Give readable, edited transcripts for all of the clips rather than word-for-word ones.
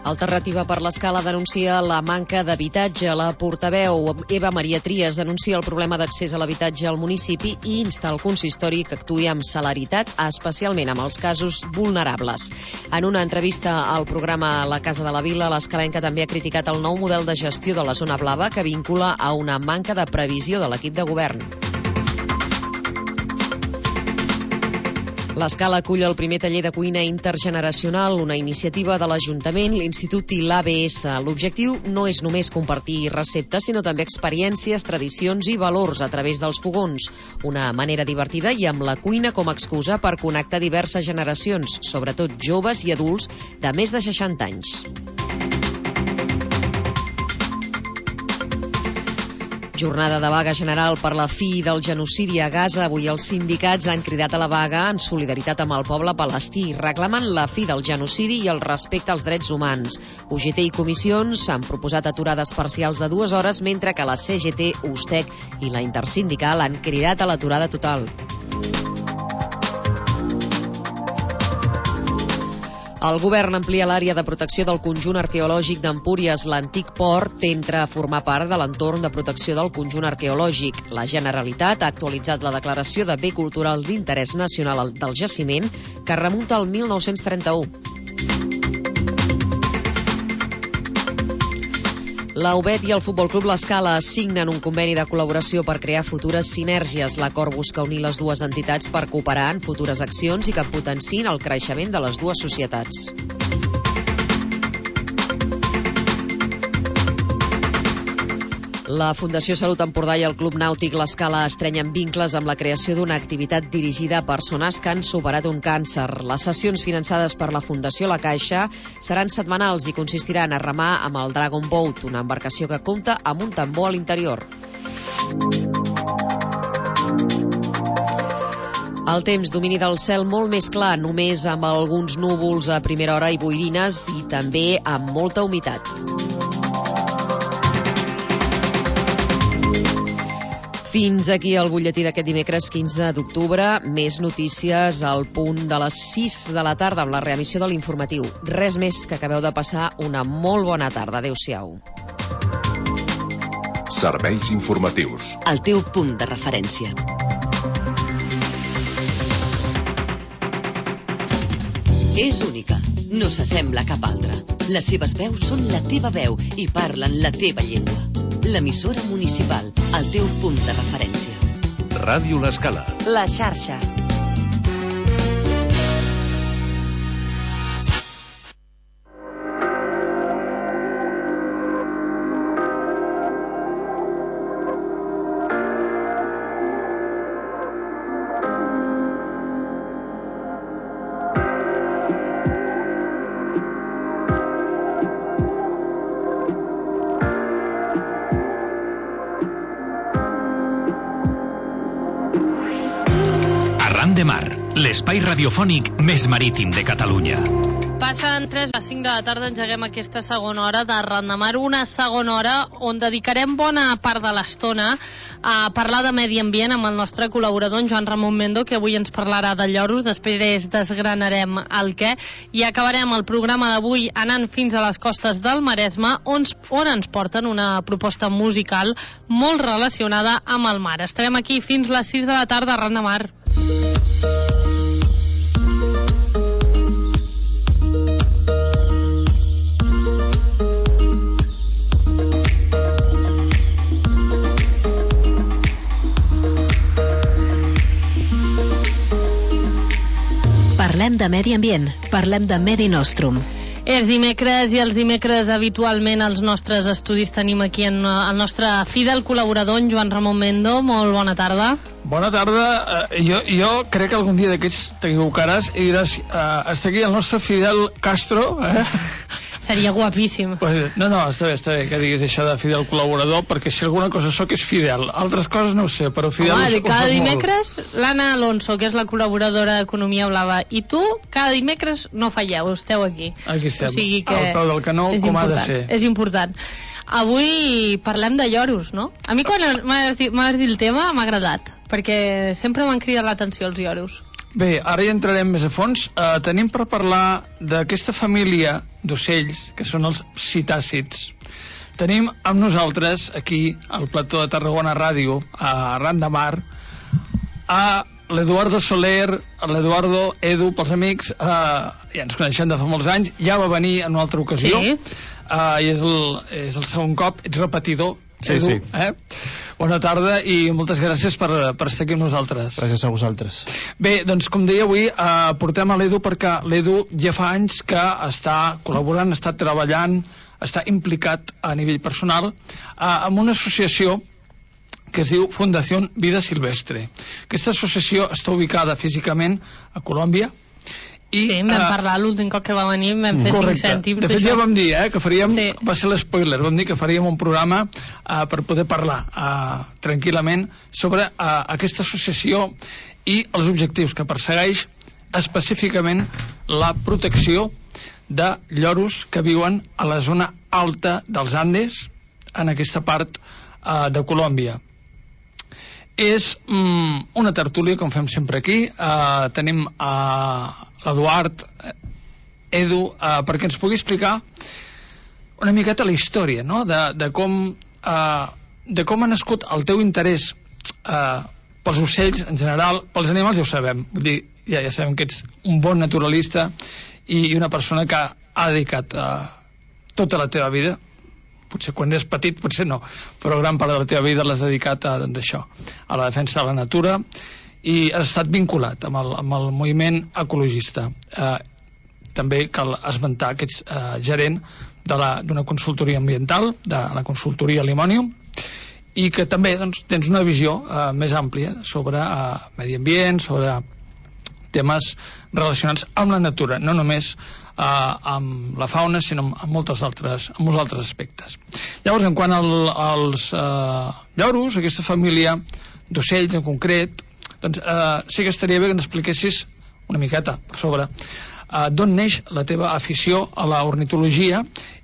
Alternativa per l'Escala denuncia la manca d'habitatge. La portaveu Eva Maria Trias denuncia el problema d'accés a l'habitatge al municipi i insta el consistori que actuï amb celeritat, especialment amb els casos vulnerables. En una entrevista al programa La Casa de la Vila, l'escalenca també ha criticat el nou model de gestió de la zona blava que vincula a una manca de previsió de l'equip de govern. L'Escala acull el primer taller de cuina intergeneracional, una iniciativa de l'Ajuntament, l'Institut i l'ABS. L'objectiu no és només compartir receptes, sinó també experiències, tradicions i valors a través dels fogons. Una manera divertida i amb la cuina com a excusa per connectar diverses generacions, sobretot joves i adults de més de 60 anys. Jornada de vaga general per la fi del genocidi a Gaza. Avui els sindicats han cridat a la vaga en solidaritat amb el poble palestí. Reclamen la fi del genocidi i el respecte als drets humans. UGT i comissions han proposat aturades parcials de 2 hores, mentre que la CGT, USTEC i la Intersindical han cridat a l'aturada total. El govern amplia l'àrea de protecció del conjunt arqueològic d'Empúries. L'antic port entra a formar part de l'entorn de protecció del conjunt arqueològic. La Generalitat ha actualitzat la declaració de bé cultural d'interès nacional del jaciment, que remunta al 1931. La UBET i el Futbol Club L'Escala signen un conveni de col·laboració per crear futures sinergies. L'acord busca unir les dues entitats per cooperar en futures accions i que potenciïn el creixement de les dues societats. La Fundació Salut Empordà i el Club Nàutic L'Escala estrenyen vincles amb la creació d'una activitat dirigida a persones que han superat un càncer. Les sessions finançades per la Fundació La Caixa seran setmanals i consistiran a remar amb el Dragon Boat, una embarcació que compta amb un tambor a l'interior. El temps, domini del cel molt més clar, només amb alguns núvols a primera hora i boirines i també amb molta humitat. Fins aquí el butlletí d'aquest dimecres 15 d'octubre. Més notícies al punt de les 6 de la tarda amb la reemissió de l'informatiu. Res més, que acabeu de passar una molt bona tarda. Adéu-siau. Serveis informatius. El teu punt de referència. És única. No s'assembla a cap altra. Les seves veus són la teva veu i parlen la teva llengua. L'emissora municipal, el teu punt de referència. Ràdio L'Escala. La xarxa. L'espai radiofònic més marítim de Catalunya. Passen 3 a 5 de la tarda, engeguem aquesta segona hora de Arran de Mar, una segona hora on dedicarem bona part de l'estona a parlar de medi ambient amb el nostre col·laborador, en Joan Ramon Mendo, que avui ens parlarà de lloros, després desgranarem el què, i acabarem el programa d'avui anant fins a les costes del Maresme, on ens porten una proposta musical molt relacionada amb el mar. Estarem aquí fins les 6 de la tarda a Arran de Mar. Parlem de medi ambient, parlem de Medi Nostrum. És dimecres i els dimecres habitualment als nostres estudis tenim aquí el nostre fidel col·laborador, en Joan Ramon Mendo. Molt bona tarda. Bona tarda. Jo crec que algun dia d'aquests t'equivocaràs i diràs està aquí el nostre Fidel Castro, Seria guapíssim. Pues, no, està bé que diguis això de fidel col·laborador, perquè si alguna cosa sóc és fidel. Altres coses no ho sé, però fidel... Home, cada dimecres l'Anna Alonso, que és la col·laboradora d'Economia Blava, i tu cada dimecres no falleu, esteu aquí. Aquí estem, o sigui que al peu del canó, com ha de ser. És important. Avui parlem de lloros, no? A mi quan m'has dit el tema m'ha agradat, perquè sempre m'han cridat l'atenció els lloros. Bé, ara ja entrarem més a fons. Tenim per parlar d'aquesta família d'ocells, que són els psitàcids. Tenim amb nosaltres, aquí, al plató de Tarragona Ràdio, a Ran de Mar, a l'Eduardo Soler, l'Eduardo, Edu, pels amics, ja ens coneixem de fa molts anys, ja va venir en una altra ocasió, i és el segon cop, ets repetidor, Edu, Bona tarda i moltes gràcies per estar aquí amb nosaltres. Gràcies a vosaltres. Bé, doncs com deia avui, portem a l'Edu perquè l'Edu ja fa anys que està col·laborant, està treballant, està implicat a nivell personal amb una associació que es diu Fundació Vida Silvestre. Aquesta associació està ubicada físicament a Colòmbia. Sí, vam parlar l'últim cop que va venir, vam fer 5 cèntims. De fet ja vam dir que faríem, va ser l'espoiler, vam dir que faríem un programa per poder parlar tranquil·lament sobre aquesta associació i els objectius que persegueix, específicament la protecció de lloros que viuen a la zona alta dels Andes, en aquesta part de Colòmbia. És una tertúlia, com fem sempre aquí. Tenim l'Eduard, Edu, perquè ens pugui explicar una miqueta la història, no? de com ha nascut el teu interès pels ocells en general, pels animals ja ho sabem, vull dir, ja sabem que ets un bon naturalista i una persona que ha dedicat tota la teva vida, potser quan és petit, potser no, però gran part de la teva vida l'has dedicat a això, a la defensa de la natura, i has estat vinculat amb el moviment ecologista. També cal esmentar que ets gerent d'una consultoria ambiental, de la consultoria Limonium, i que també tens una visió més àmplia sobre medi ambient, sobre temes relacionats amb la natura, no només amb la fauna, sinó amb molts altres aspectes. Llavors, en quant als lloros, aquesta família d'ocells en concret, doncs sí que estaria bé que ens expliquessis una miqueta sobre d'on neix la teva afició a la ornitologia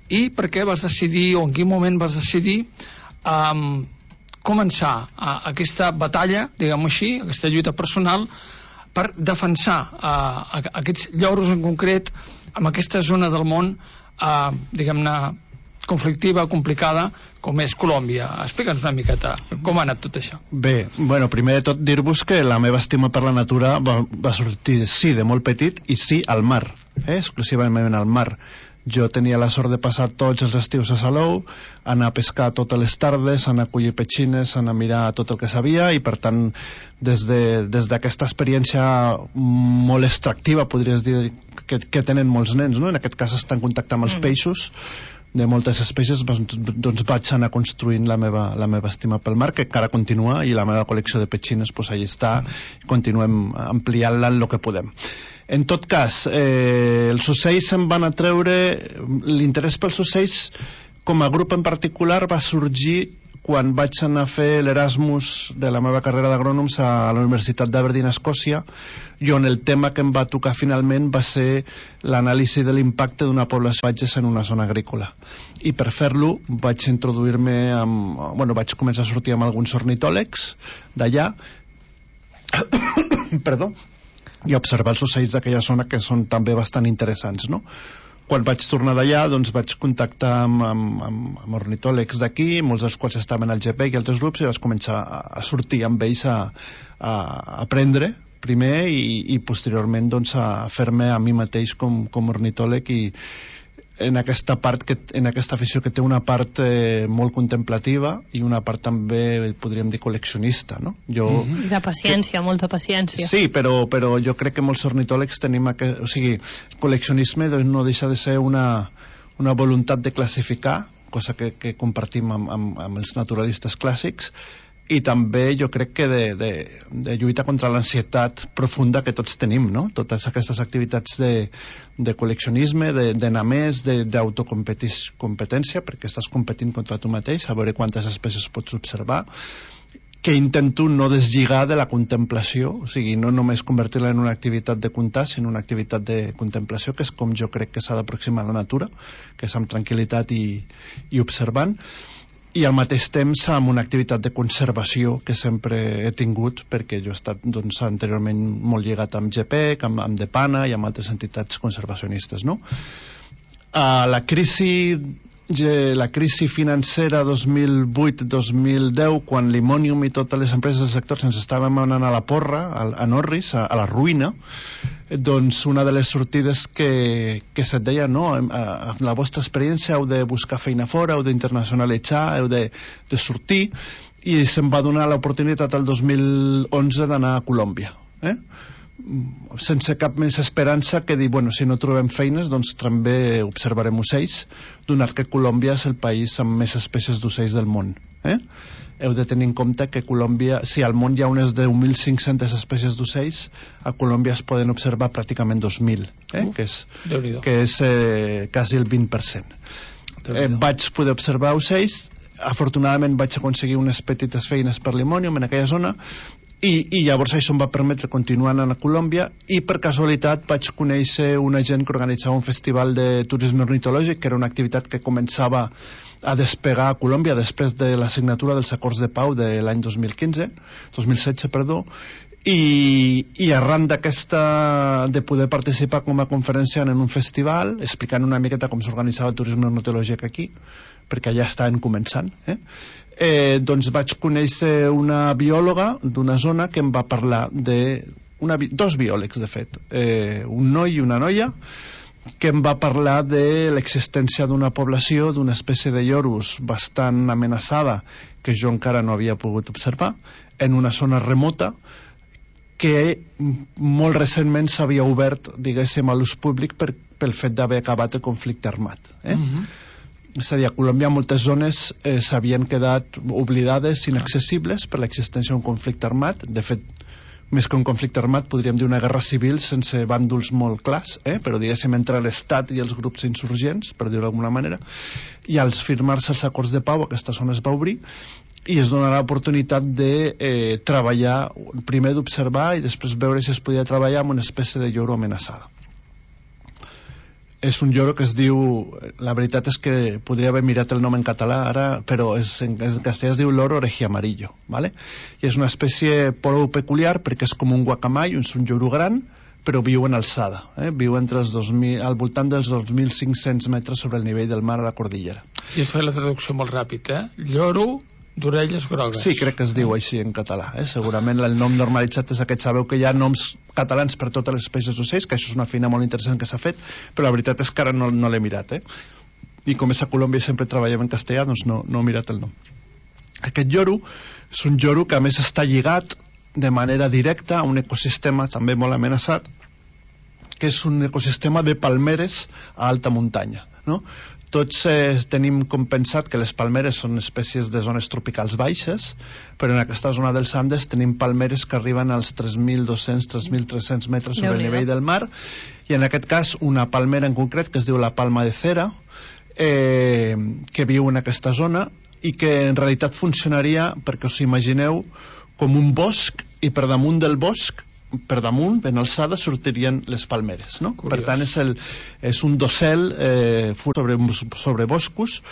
i per què vas decidir, o en quin moment vas decidir començar aquesta batalla, diguem-ho així, aquesta lluita personal per defensar aquests lloros en concret en aquesta zona del món, diguem-ne, conflictiva, complicada, com és Colòmbia. Explica'ns una miqueta com ha anat tot això. Bé, bueno, primer de tot dir-vos que la meva estima per la natura va sortir, sí, de molt petit, i sí, al mar, exclusivament al mar. Jo tenia la sort de passar tots els estius a Salou, anar a pescar totes les tardes, anar a collir petxines, anar a mirar tot el que sabia, i per tant, des d'aquesta experiència molt extractiva, podries dir, que tenen molts nens, no? En aquest cas estar en contacte amb els peixos de moltes espècies, doncs vaig anar construint la meva estima pel mar, que encara continua, i la meva col·lecció de petxines pues allà està, continuem ampliant-la en el que podem. En tot cas, els ocells em van atreure, l'interès pels ocells com a grup en particular va sorgir quan vaig anar a fer l'Erasmus de la meva carrera d'agrònoms a la Universitat d'Aberdeen, a Escòcia, i on el tema que em va tocar finalment va ser l'anàlisi de l'impacte d'una població de patges en una zona agrícola. I per fer-lo vaig introduir-me vaig començar a sortir amb alguns ornitòlegs d'allà perdó, i observar els ocells d'aquella zona, que són també bastant interessants, no? Quan vaig tornar d'allà, doncs vaig contactar amb ornitòlegs d'aquí, molts dels quals estaven al GPEC i altres grups, i vaig començar a sortir amb ells a aprendre primer i posteriorment doncs, a fer-me a mi mateix com ornitòleg, i en aquesta afició que té una part molt contemplativa i una part també, podríem dir, col·leccionista, no? De paciència, molta paciència. Sí, però jo crec que molts ornitòlegs tenim col·leccionisme no deixa de ser una voluntat de classificar, cosa que compartim amb els naturalistes clàssics, i també jo crec que de lluita contra l'ansietat profunda que tots tenim, no? Totes aquestes activitats de col·leccionisme, d'anar més, d'autocompetència, perquè estàs competint contra tu mateix, a veure quantes espècies pots observar, que intento no deslligar de la contemplació, o sigui, no només convertir-la en una activitat de comptar, sinó una activitat de contemplació, que és com jo crec que s'ha d'aproximar a la natura, que és amb tranquil·litat i observant. i al mateix temps amb una activitat de conservació que sempre he tingut, perquè jo he estat doncs, anteriorment molt lligat amb GPEC, amb Depana i amb altres entitats conservacionistes, no? La crisi financera 2008-2010, quan l'Imònium i totes les empreses del sector ens estàvem anant a la porra, a Norris, a la ruïna, doncs una de les sortides que se't deia, no, amb la vostra experiència heu de buscar feina fora, heu d'internacionalitzar, heu de sortir, i se'm va donar l'oportunitat el 2011 d'anar a Colòmbia, sense cap més esperança que dir, bueno, si no trobem feines doncs també observarem ocells, donat que Colòmbia és el país amb més espècies d'ocells del món. Heu de tenir en compte que Colòmbia, si al món hi ha unes 10.500 espècies d'ocells, a Colòmbia es poden observar pràcticament 2.000, que és quasi el 20%. Vaig poder observar ocells, afortunadament vaig aconseguir unes petites feines per l'Imònium en aquella zona, i llavors això em va permetre continuar anant a Colòmbia, i per casualitat vaig conèixer una gent que organitzava un festival de turisme ornitològic, que era una activitat que començava a despegar a Colòmbia després de la signatura dels acords de pau de l'any 2016, i arran de poder participar com a conferenciant en un festival, explicant una miqueta com s'organitzava el turisme ornitològic aquí, perquè ja estaven començant, doncs vaig conèixer una biòloga d'una zona que em va parlar dos biòlegs, de fet, un noi i una noia, que em va parlar de l'existència d'una població d'una espècie de lloros bastant amenaçada, que jo encara no havia pogut observar, en una zona remota, que molt recentment s'havia obert, diguéssim, a l'ús públic pel fet d'haver acabat el conflicte armat. És a dir, a Colòmbia moltes zones s'havien quedat oblidades, inaccessibles per l'existència d'un conflicte armat. De fet, més que un conflicte armat podríem dir una guerra civil sense bàndols molt clars, però diguéssim entre l'Estat i els grups insurgents, per dir-ho d'alguna manera, i al firmar-se els acords de pau aquesta zona es va obrir i es donarà l'oportunitat de treballar, primer d'observar i després veure si es podia treballar amb una espècie de lloro amenaçada. És un lloro que es diu, la veritat és que podria haver mirat el nom en català ara, però en castellà es diu loro orejiamarillo, ¿vale? I és una espècie prou peculiar perquè és com un guacamai, és un lloro gran, però viu en alçada, viu entre al voltant dels 2.500 metres sobre el nivell del mar a la cordillera. I es fa la traducció molt ràpid, lloro d'orelles grogues. Sí, crec que es diu així en català. Segurament el nom normalitzat és aquest. Sabeu que hi ha noms catalans per totes les espècies d'ocells, que això és una feina molt interessant que s'ha fet, però la veritat és que ara no l'he mirat. I com és a Colòmbia sempre treballem en castellà, doncs no he mirat el nom. Aquest lloro és un lloro que a més està lligat de manera directa a un ecosistema també molt amenaçat, que és un ecosistema de palmeres a alta muntanya, no? Tots tenim com pensat que les palmeres són espècies de zones tropicals baixes, però en aquesta zona dels Andes tenim palmeres que arriben als 3.200, 3.300 metres sobre el nivell del mar, i en aquest cas una palmera en concret que es diu la palma de cera, que viu en aquesta zona i que en realitat funcionaria, perquè us imagineu, com un bosc, i per damunt del bosc, per damunt, ben alçada, sortirien les palmeres, no? Curiós. Per tant, és un dossel sobre boscos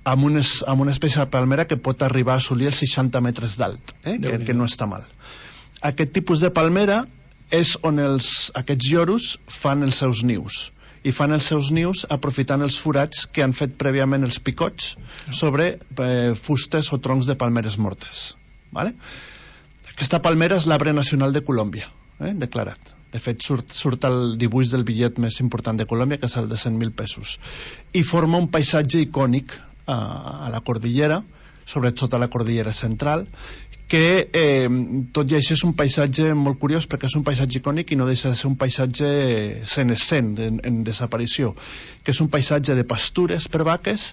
amb una espècie de palmera que pot arribar a assolir els 60 metres d'alt, que no està mal. Aquest tipus de palmera és on aquests lloros fan els seus nius, i fan els seus nius aprofitant els forats que han fet prèviament els picots sobre fustes o troncs de palmeres mortes, ¿vale? Aquesta palmera és l'arbre nacional de Colòmbia, declarat. De fet, surt el dibuix del bitllet més important de Colòmbia, que és el de 100.000 pesos. I forma un paisatge icònic a la cordillera, sobretot a la cordillera central, que tot i així és un paisatge molt curiós, perquè és un paisatge icònic i no deixa de ser un paisatge senescent, en desaparició, que és un paisatge de pastures per vaques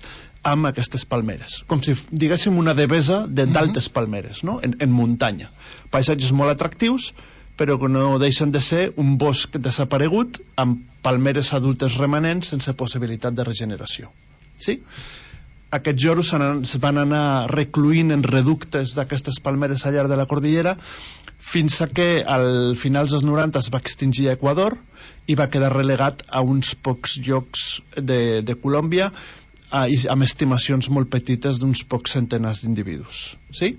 amb aquestes palmeres, com si diguéssim una devesa d'altes palmeres, no? En muntanya. Paisatges molt atractius, però que no deixen de ser un bosc desaparegut amb palmeres adultes remanents sense possibilitat de regeneració. Sí? Aquests lloros es van anar recluint en reductes d'aquestes palmeres al llarg de la cordillera fins a que al finals dels 90 es va extingir a Equador i va quedar relegat a uns pocs llocs de Colòmbia, amb estimacions molt petites d'uns pocs centenars d'individus. Sí?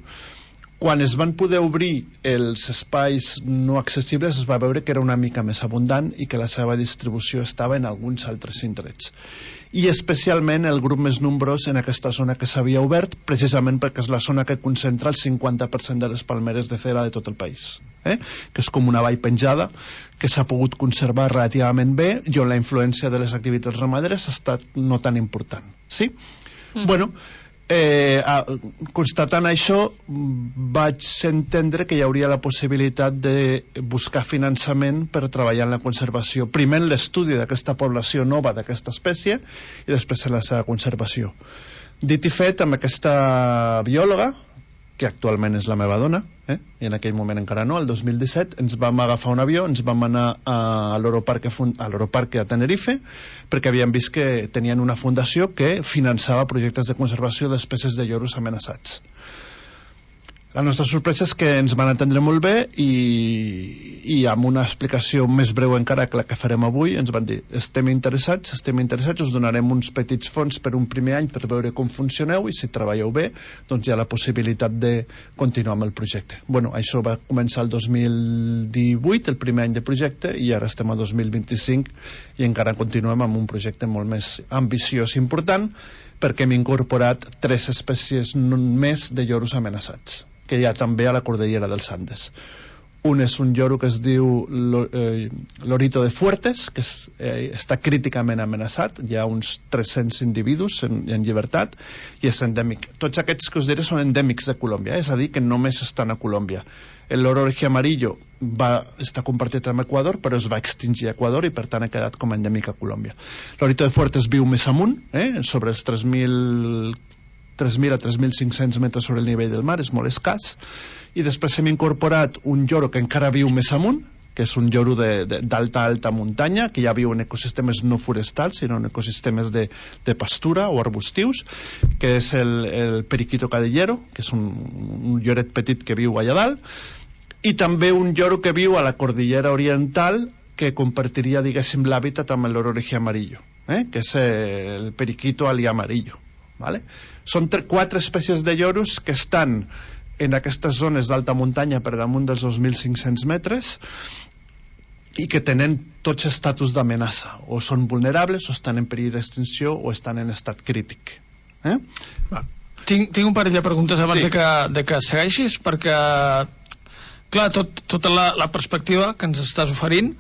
Quan es van poder obrir els espais no accessibles es va veure que era una mica més abundant i que la seva distribució estava en alguns altres indrets. I especialment el grup més nombrós en aquesta zona que s'havia obert, precisament perquè és la zona que concentra el 50% de les palmeres de cera de tot el país, que és com una vall penjada que s'ha pogut conservar relativament bé i on la influència de les activitats ramaderes ha estat no tan important. Sí? Bueno, constatant això vaig entendre que hi hauria la possibilitat de buscar finançament per treballar en la conservació, primer en l'estudi d'aquesta població nova d'aquesta espècie i després en la seva conservació. Dit i fet, amb aquesta biòloga, que actualment és la meva dona, i en aquell moment encara no, el 2017, ens vam agafar un avió, ens vam anar a l'Europarque a Tenerife, perquè havíem vist que tenien una fundació que finançava projectes de conservació d'espècies de lloros amenaçats. La nostra sorpresa és que ens van atendre molt bé i amb una explicació més breu encara que la que farem avui ens van dir estem interessats, us donarem uns petits fons per un primer any per veure com funcioneu i si treballeu bé doncs hi ha la possibilitat de continuar amb el projecte. Bueno, això va començar el 2018, el primer any de projecte, i ara estem a 2025 i encara continuem amb un projecte molt més ambiciós i important perquè hem incorporat 3 espècies més de lloros amenaçats que hi ha també a la Cordillera dels Andes. Un és un lloro que es diu Lorito de Fuertes, que està críticament amenaçat, hi ha uns 300 individus en llibertat i és endèmic. Tots aquests que us diré són endèmics de Colòmbia, és a dir, que només estan a Colòmbia. El loro oreja amarillo va estar compartit amb Equador, però es va extingir a Equador i per tant ha quedat com a endèmic a Colòmbia. Lorito de Fuertes viu més amunt, sobre els 3.000 a 3.500 metres sobre el nivell del mar, és molt escàs, i després hem incorporat un lloro que encara viu més amunt, que és un lloro d'alta muntanya, que ja viu en ecosistemes no forestals, sinó en ecosistemes de pastura o arbustius, que és el periquito cadillero, que és un lloret petit que viu allà dalt, i també un lloro que viu a la Cordillera Oriental, que compartiria, diguéssim, l'hàbitat amb el loro oreja amarillo, que és el periquito alí amarillo. ¿Vale? Són 4 espècies de lloros que estan en aquestes zones d'alta muntanya per damunt dels 2.500 metres i que tenen tots estatus d'amenaça, o són vulnerables, o estan en perill d'extinció, o estan en estat crític. Tinc un parell de preguntes abans de que segueixis, perquè clar, tota la perspectiva que ens estàs oferint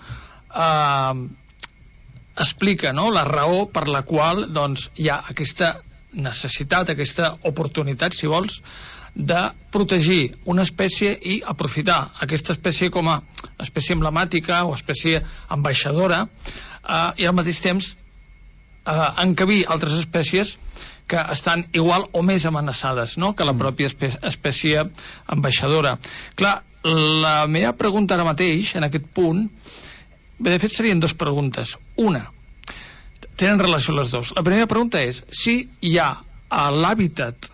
explica, no?, la raó per la qual doncs, hi ha aquesta necessitat, aquesta oportunitat, si vols, de protegir una espècie i aprofitar aquesta espècie com a espècie emblemàtica o espècie ambaixadora i al mateix temps encabir altres espècies que estan igual o més amenaçades, no?, que la pròpia espècie ambaixadora. Clar, la meva pregunta ara mateix, en aquest punt, de fet serien 2 preguntes. Una, tenen relació les 2. La primera pregunta és si hi ha a l'hàbitat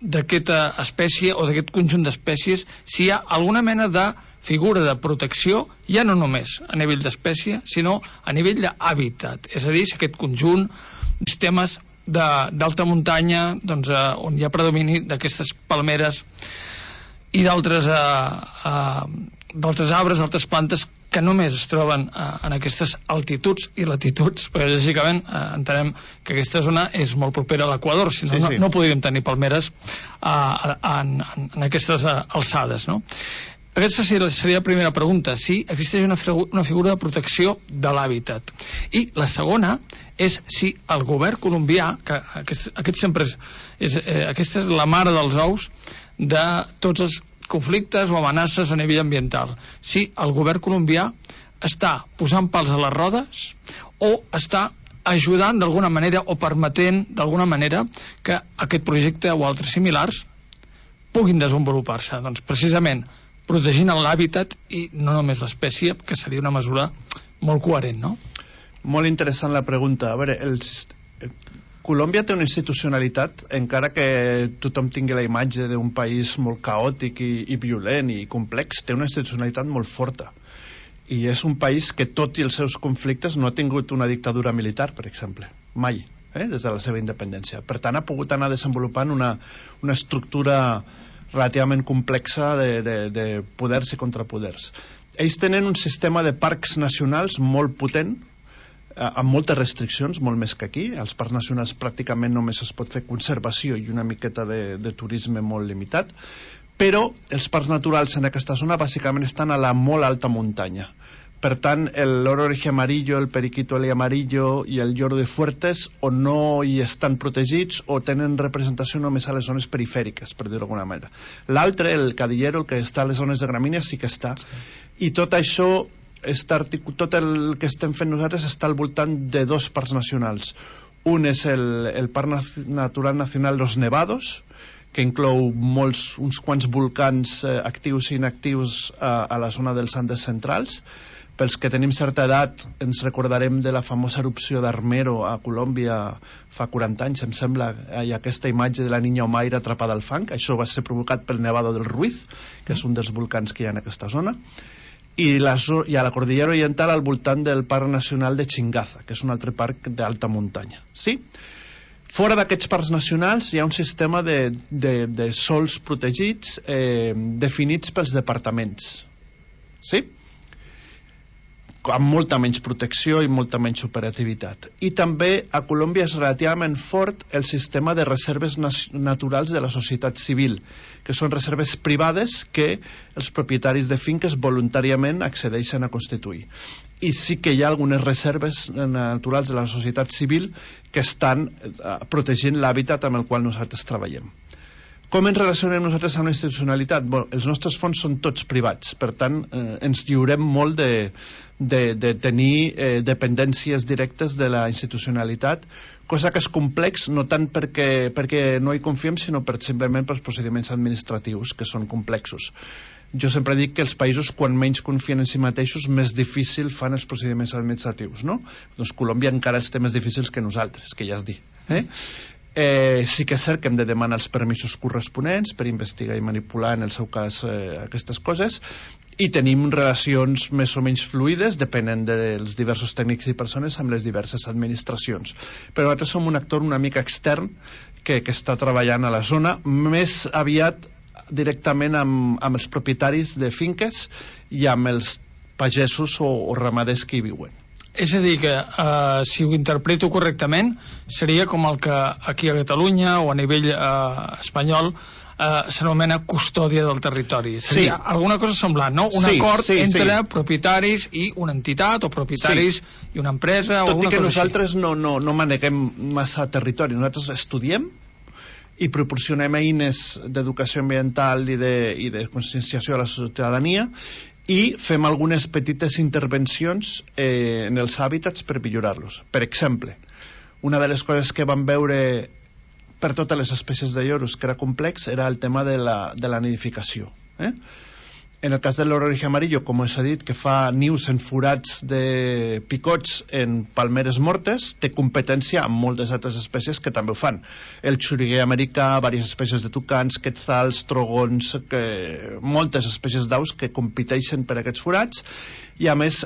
d'aquesta espècie o d'aquest conjunt d'espècies, si hi ha alguna mena de figura de protecció, ja no només a nivell d'espècie, sinó a nivell d'hàbitat. És a dir, si aquest conjunt de sistemes d'alta muntanya, doncs, on hi ha predomini d'aquestes palmeres i d'altres arbres, d'altres plantes que només es troben en aquestes altituds i latituds, perquè lògicament entenem que aquesta zona és molt propera a l'Equador, si no, no podríem tenir palmeres en aquestes alçades, no? Aquesta seria la primera pregunta, si existeix una figura de protecció de l'hàbitat. I la segona és si el govern colombià, que aquest sempre aquesta és la mare dels ous de tots els conflictes o amenaces a nivell ambiental, si el govern colombià està posant pals a les rodes o està ajudant d'alguna manera o permetent d'alguna manera que aquest projecte o altres similars puguin desenvolupar-se. Doncs precisament protegint l'hàbitat i no només l'espècie, que seria una mesura molt coherent, no? Molt interessant la pregunta. A veure, Colòmbia té una institucionalitat, encara que tothom tingui la imatge d'un país molt caòtic i violent i complex, té una institucionalitat molt forta. I és un país que, tot i els seus conflictes, no ha tingut una dictadura militar, per exemple. Mai. des de la seva independència. Per tant, ha pogut anar desenvolupant una estructura relativament complexa de poders i contrapoders. Ells tenen un sistema de parcs nacionals molt potent, amb moltes restriccions, molt més que aquí. Als parcs nacionals pràcticament només es pot fer conservació i una miqueta de turisme molt limitat, però els parcs naturals en aquesta zona bàsicament estan a la molt alta muntanya. Per tant, el loro oreja amarillo, el periquito amarillo i el lloro de Fuertes o no hi estan protegits o tenen representació només a les zones perifèriques, per dir-ho d'alguna manera. L'altre, el cadillero, el que està a les zones de gramínia, sí que està. I tot això, tot el que estem fent nosaltres està al voltant de dos parcs nacionals. Un és el Parc Natural Nacional Los Nevados, que inclou uns quants volcans actius i inactius a la zona dels Andes centrals. Pels que tenim certa edat ens recordarem de la famosa erupció d'Armero a Colòmbia fa 40 anys, em sembla, i aquesta imatge de la niña Omaira atrapada al fang. Això va ser provocat pel Nevado del Ruiz, que és un dels volcans que hi ha en aquesta zona, i a la Cordillera Oriental al voltant del Parc Nacional de Chingaza, que és un altre parc d'alta muntanya. Sí? Fora d'aquests parcs nacionals hi ha un sistema de sols protegits definits pels departaments. Sí? Amb molta menys protecció i molta menys operativitat. I també a Colòmbia és relativament fort el sistema de reserves naturals de la societat civil, que són reserves privades que els propietaris de finques voluntàriament accedeixen a constituir. I sí que hi ha algunes reserves naturals de la societat civil que estan protegint l'hàbitat amb el qual nosaltres treballem. Com ens relacionem nosaltres amb la institucionalitat? Bueno, els nostres fons són tots privats, per tant ens lliurem molt de tenir dependències directes de la institucionalitat, cosa que és complex, no tant perquè no hi confiem, sinó simplement pels procediments administratius, que són complexos. Jo sempre dic que els països, quan menys confien en si mateixos, més difícil fan els procediments administratius, no? Doncs Colòmbia encara els té més difícils que nosaltres, que ja es dir. Sí que és cert que hem de demanar els permisos corresponents per investigar i manipular, en el seu cas, aquestes coses, i tenim relacions més o menys fluides, depenent dels diversos tècnics i persones, amb les diverses administracions. Però nosaltres som un actor una mica extern que està treballant a la zona, més aviat directament amb els propietaris de finques i amb els pagesos o ramaders que hi viuen. És a dir, que si ho interpreto correctament, seria com el que aquí a Catalunya o a nivell espanyol s'anomena custòdia del territori. Seria alguna cosa semblant, no? Un acord entre propietaris i una entitat, o propietaris i una empresa, o alguna cosa així. Tot i que nosaltres no maneguem massa territori, nosaltres estudiem i proporcionem eines d'educació ambiental i de conscienciació a la ciutadania, i fem algunes petites intervencions en els hàbitats per millorar-los. Per exemple, una de les coses que vam veure per totes les espècies de lloros que era complex era el tema de la nidificació. En el cas del loro oreja amarillo, com us he dit, que fa nius en forats de picots en palmeres mortes, té competència amb moltes altres espècies que també ho fan. El xuriguer americà, diverses espècies de tucans, quetzals, trogons, moltes espècies d'aus que competeixen per aquests forats, i a més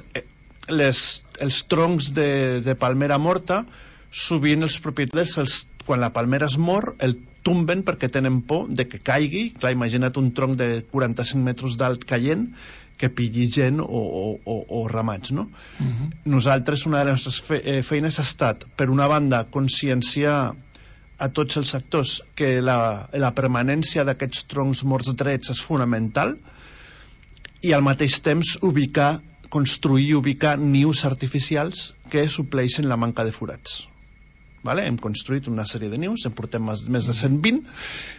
els troncs de palmera morta, sovint els propietaris, quan la palmera es mor, el tomben perquè tenen por de que caigui. Clar, imagina't un tronc de 45 metres d'alt caient, que pilli gent o ramats, no? Nosaltres, una de les nostres feines ha estat, per una banda, conscienciar a tots els sectors que la permanència d'aquests troncs morts drets és fonamental, i al mateix temps construir i ubicar nius artificials que supleixen la manca de forats. Hem construït una sèrie de nius, en portem més de 120,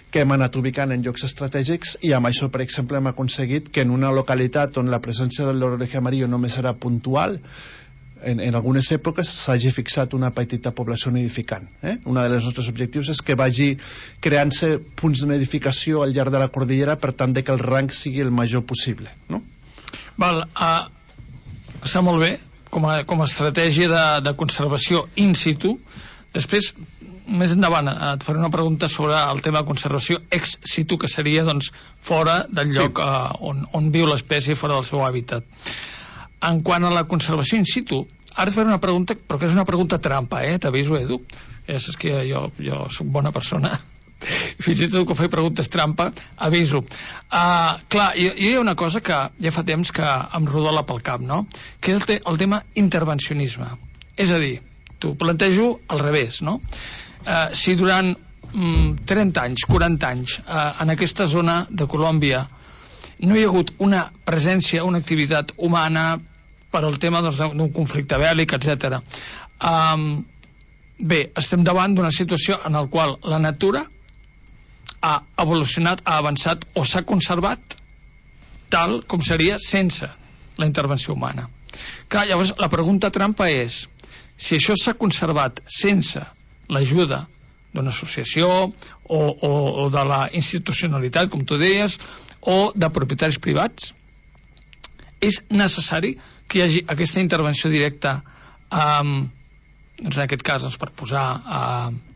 que hem anat ubicant en llocs estratègics, i amb això, per exemple, hem aconseguit que en una localitat on la presència del loro oreja amarillo només era puntual, en algunes èpoques s'hagi fixat una petita població nidificant. Un dels nostres objectius és que vagi creant-se punts de nidificació al llarg de la cordillera, per tant que el rang sigui el major possible. Està molt bé com a estratègia de conservació in situ. Després, més endavant, et faré una pregunta sobre el tema de conservació ex situ, que seria fora del lloc on viu l'espècie, fora del seu hàbitat. En quant a la conservació in situ, ara et faré una pregunta, però que és una pregunta trampa, t'aviso, Edu. Ja saps que jo soc bona persona. Fins i tot que faig preguntes trampa, aviso. Clar, jo hi ha una cosa que ja fa temps que em rodola pel cap, no? Que és el tema intervencionisme. És a dir, t'ho plantejo al revés, no? Si durant 30 anys, 40 anys, en aquesta zona de Colòmbia no hi ha hagut una presència, una activitat humana per al tema d'un conflicte bèl·lic, etc. Bé, estem davant d'una situació en la qual la natura ha evolucionat, ha avançat o s'ha conservat tal com seria sense la intervenció humana. Clar, llavors la pregunta trampa és si això s'ha conservat sense l'ajuda d'una associació o de la institucionalitat, com tu deies, o de propietaris privats, és necessari que hi hagi aquesta intervenció directa, doncs en aquest cas per posar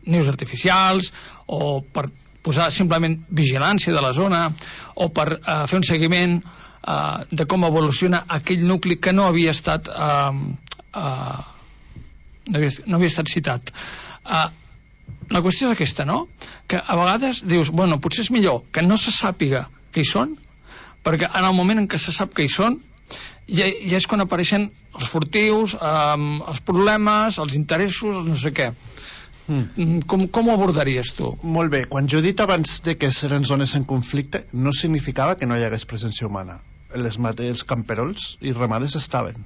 nius artificials o per posar simplement vigilància de la zona o per fer un seguiment de com evoluciona aquell nucli que no havia estat no havia estat citat. La qüestió és aquesta, no? Que a vegades dius, bueno, potser és millor que no se sàpiga que hi són, perquè en el moment en què se sap que hi són ja és quan apareixen els furtius, els problemes, els interessos, no sé què. Com ho abordaries tu? Molt bé, quan jo he dit abans de que eren zones en conflicte no significava que no hi hagués presència humana. Els camperols i ramades estaven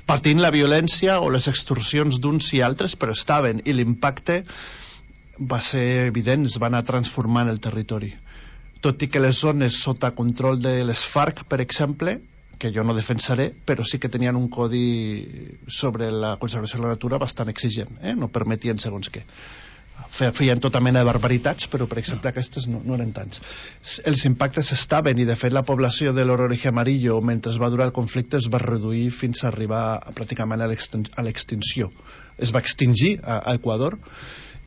patint la violència o les extorsions d'uns i altres, però estaven, i l'impacte va ser evident, es va anar transformant el territori, tot i que les zones sota control de les FARC, per exemple, que jo no defensaré, però sí que tenien un codi sobre la conservació de la natura bastant exigent, no permetien segons què. Feien tota mena de barbaritats, però per exemple aquestes no eren tants. Els impactes estaven, i de fet la població de l'ororeje amarillo mentre es va durar el conflicte es va reduir fins a arribar pràcticament a l'extinció. Es va extingir a Equador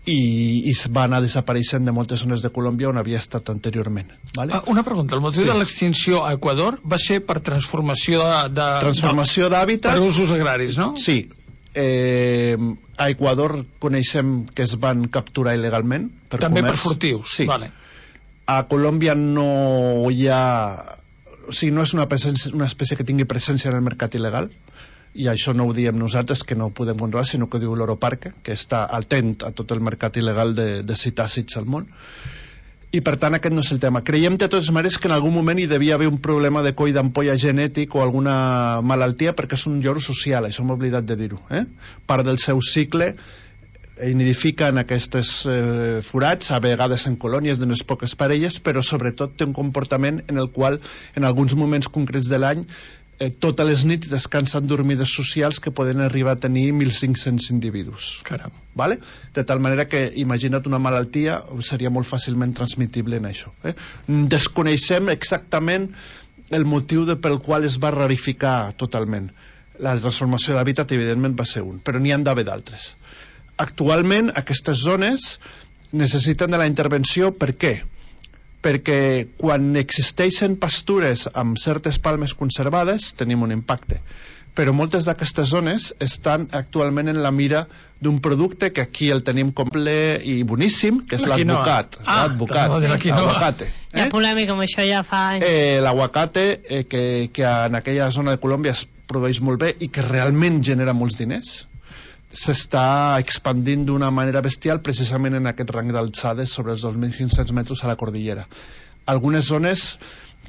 i es va anar desapareixent de moltes zones de Colòmbia on havia estat anteriorment, vale? Una pregunta, el motiu de l'extinció a Equador va ser per transformació d'hàbitat per usos agraris, no? Sí. A Equador coneixem que es van capturar il·legalment per també comerç. Per furtius, sí. Vale. A Colòmbia no hi ha, o sigui, no és una espècie que tingui presència en el mercat il·legal, i això no ho diem nosaltres, que no ho podem controlar, sinó que ho diu l'Europarque, que està atent a tot el mercat il·legal de citàcids al món. I per tant aquest no és el tema. Creiem de totes maneres que en algun moment hi devia haver un problema de coll d'ampolla genètic o alguna malaltia, perquè és un lloro social, això m'he oblidat de dir-ho. Part del seu cicle nidifica en aquestes forats, a vegades en colònies d'unes poques parelles, però sobretot té un comportament en el qual en alguns moments concrets de l'any totes les nits descansen dormides socials que poden arribar a tenir 1.500 individus. Caram. Vale? De tal manera que imagina't una malaltia seria molt fàcilment transmitible en això. Desconeixem exactament el motiu pel qual es va rarificar totalment. La transformació d'hàbitat evidentment va ser un, però n'hi han d'haver d'altres. Actualment aquestes zones necessiten de la intervenció. Per què? Perquè quan existeixen pastures amb certes palmes conservades tenim un impacte, però moltes d'aquestes zones estan actualment en la mira d'un producte que aquí el tenim complet i boníssim, que és l'advocat. L'aguacate. Hi ha polèmica amb això ja fa anys. L'aguacate que en aquella zona de Colòmbia es produeix molt bé i que realment genera molts diners, s'està expandint d'una manera bestial precisament en aquest rang d'alçades sobre els 2.500 metres a la cordillera. Algunes zones,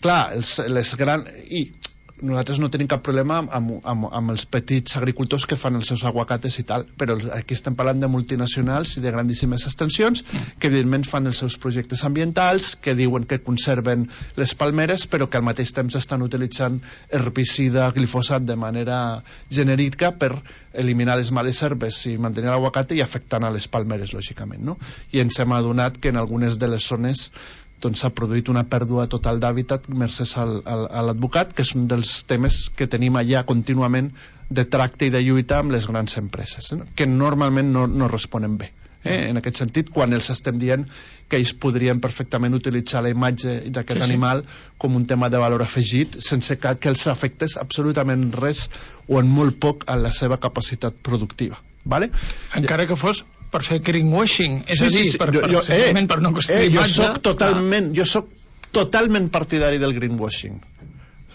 clar, les grans... I nosaltres no tenim cap problema amb els petits agricultors que fan els seus aguacates i tal, però aquí estem parlant de multinacionals i de grandíssimes extensions que evidentment fan els seus projectes ambientals, que diuen que conserven les palmeres, però que al mateix temps estan utilitzant herbicida, glifosat de manera genèrica per eliminar les males herbes i mantenir l'aguacate i afectant a les palmeres, lògicament, no? I ens hem adonat que en algunes de les zones doncs s'ha produït una pèrdua total d'hàbitat gràcies a l'advocat, que és un dels temes que tenim allà contínuament de tracte i de lluita amb les grans empreses, que normalment no responen bé. En aquest sentit, quan els estem dient que ells podrien perfectament utilitzar la imatge d'aquest animal com un tema de valor afegit, sense que els afectés absolutament res o en molt poc a la seva capacitat productiva. Vale? Encara que fos per fer greenwashing, és a dir, per no costar imatge. Jo soc totalment partidari del greenwashing.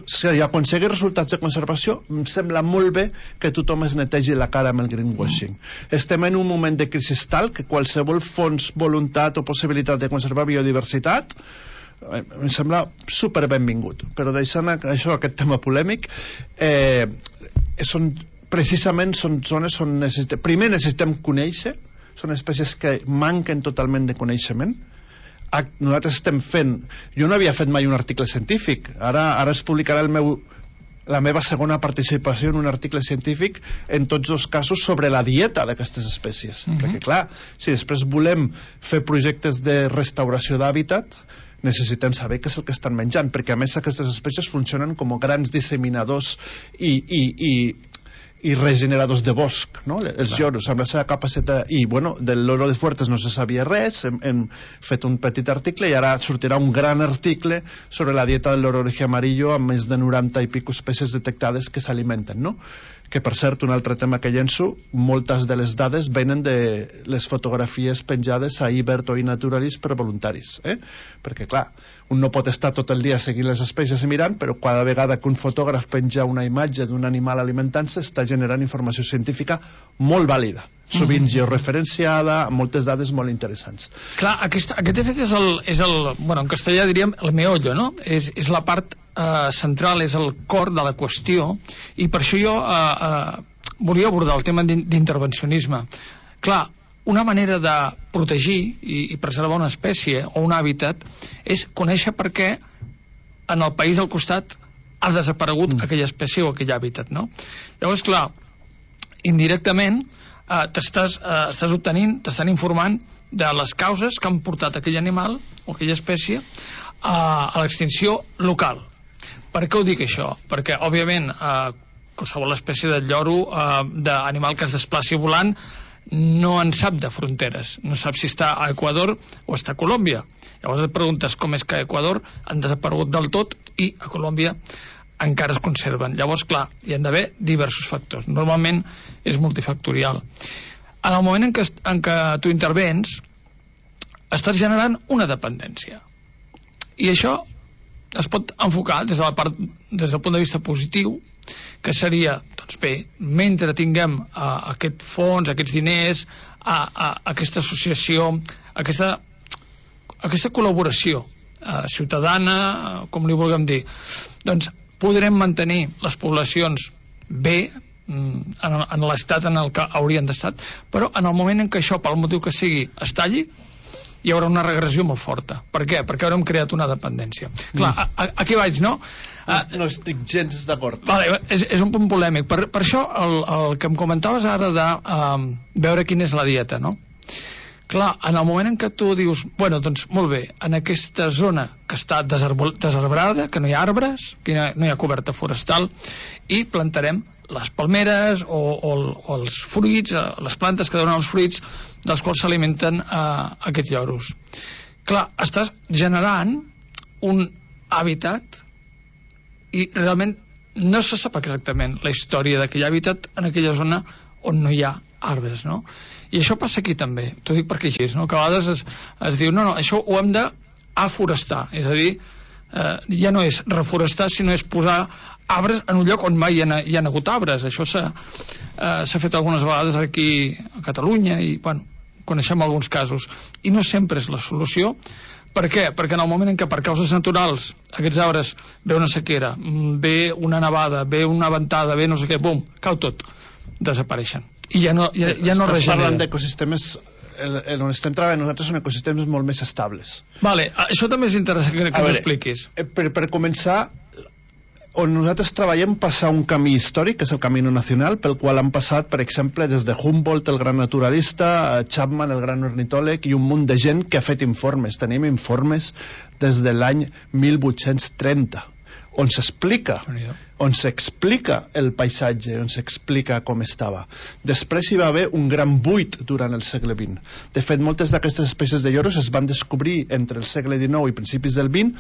Si aconseguir resultats de conservació, em sembla molt bé que tothom es netegi la cara amb el greenwashing. Estem en un moment de crisi tal que qualsevol fons, voluntat o possibilitat de conservar biodiversitat em sembla super benvingut. Però deixant això, aquest tema polèmic, precisament són zones on primer necessitem conèixer, són espècies que manquen totalment de coneixement. Nosaltres estem fent, jo no havia fet mai un article científic, ara es publicarà la meva segona participació en un article científic en tots els casos sobre la dieta d'aquestes espècies, perquè clar, si després volem fer projectes de restauració d'hàbitat, necessitem saber què és el que estan menjant, perquè a més aquestes espècies funcionen com grans disseminadors i regeneradors de bosc, no? Els lloros amb la seva capacitat, i bueno, del loro de Fuertes no se sabia res, hem fet un petit article i ara sortirà un gran article sobre la dieta del loro oreja amarillo amb més de 90 i pico espècies detectades que s'alimenten, no? Que per cert, un altre tema que llenço, moltes de les dades venen de les fotografies penjades a Ibert o iNaturalist per voluntaris, perquè clar, un no pot estar tot el dia seguint les espècies i mirant, però cada vegada que un fotògraf penja una imatge d'un animal alimentant-se està generant informació científica molt vàlida, sovint georreferenciada, amb moltes dades molt interessants. Clar, aquest de fet és el bueno, en castellà diríem el meollo, no? És la part central, és el cor de la qüestió, i per això jo volia abordar el tema d'intervencionisme. Clar, una manera de protegir i preservar una espècie o un hàbitat és conèixer per què en el país al costat ha desaparegut aquella espècie o aquell hàbitat, no? Llavors, clar, indirectament t'estàs obtenint, t'estan informant de les causes que han portat aquell animal o aquella espècie a l'extinció local. Per què ho dic això? Perquè, òbviament, qualsevol espècie de lloro, d'animal que es desplaci volant, no en sap de fronteres, no sap si està a Equador o està a Colòmbia. Llavors et preguntes com és que a Equador han desaparegut del tot i a Colòmbia encara es conserven. Llavors, clar, hi han d'haver diversos factors. Normalment és multifactorial. En el moment en què tu intervens, estàs generant una dependència. I això es pot enfocar des del punt de vista positiu, que seria, doncs bé, mentre tinguem aquest fons, aquests diners, aquesta associació, aquesta col·laboració ciutadana, com li vulguem dir, doncs podrem mantenir les poblacions bé en l'estat en el que haurien d'estar, però en el moment en què això, pel motiu que sigui, es talli, hi haurà una regressió molt forta. Per què? Perquè haurem creat una dependència. Clar, aquí vaig, no? No estic gens d'acord. Vale, és un punt polèmic. Per això el que em comentaves ara de veure quina és la dieta, no? Clar, en el moment en què tu dius, bueno, doncs molt bé, en aquesta zona que està desarbrada, que no hi ha arbres, que no hi ha coberta forestal, i plantarem les palmeres o els fruits, les plantes que donen els fruits dels quals s'alimenten aquests lloros. Clar, estàs generant un hàbitat i realment no se sap exactament la història d'aquell hàbitat en aquella zona on no hi ha arbres, no? I això passa aquí també, t'ho dic perquè així, no? Que a vegades es diu, no, això ho hem d'aforestar, és a dir, ja no és reforestar, sinó és posar arbres en un lloc on mai hi ha hagut arbres. Això s'ha fet algunes vegades aquí a Catalunya i, bueno, coneixem alguns casos. I no sempre és la solució. Per què? Perquè en el moment en què per causes naturals aquests arbres ve una sequera, ve una nevada, ve una ventada, ve no sé què, bum, cau tot, desapareixen. I ja no regenera. Estàs parlant d'ecosistemes, on estem treballant nosaltres són ecosistemes molt més estables. Vale, això també és interessant que t'ho expliquis. Per començar, on nosaltres treballem passa un camí històric, que és el Camino Nacional, pel qual han passat, per exemple, des de Humboldt, el gran naturalista, Chapman, el gran ornitòleg, i un munt de gent que ha fet informes. Tenim informes des de l'any 1830, on s'explica el paisatge, on s'explica com estava. Després hi va haver un gran buit durant el segle XX. De fet, moltes d'aquestes espècies de lloros es van descobrir entre el segle XIX i principis del XX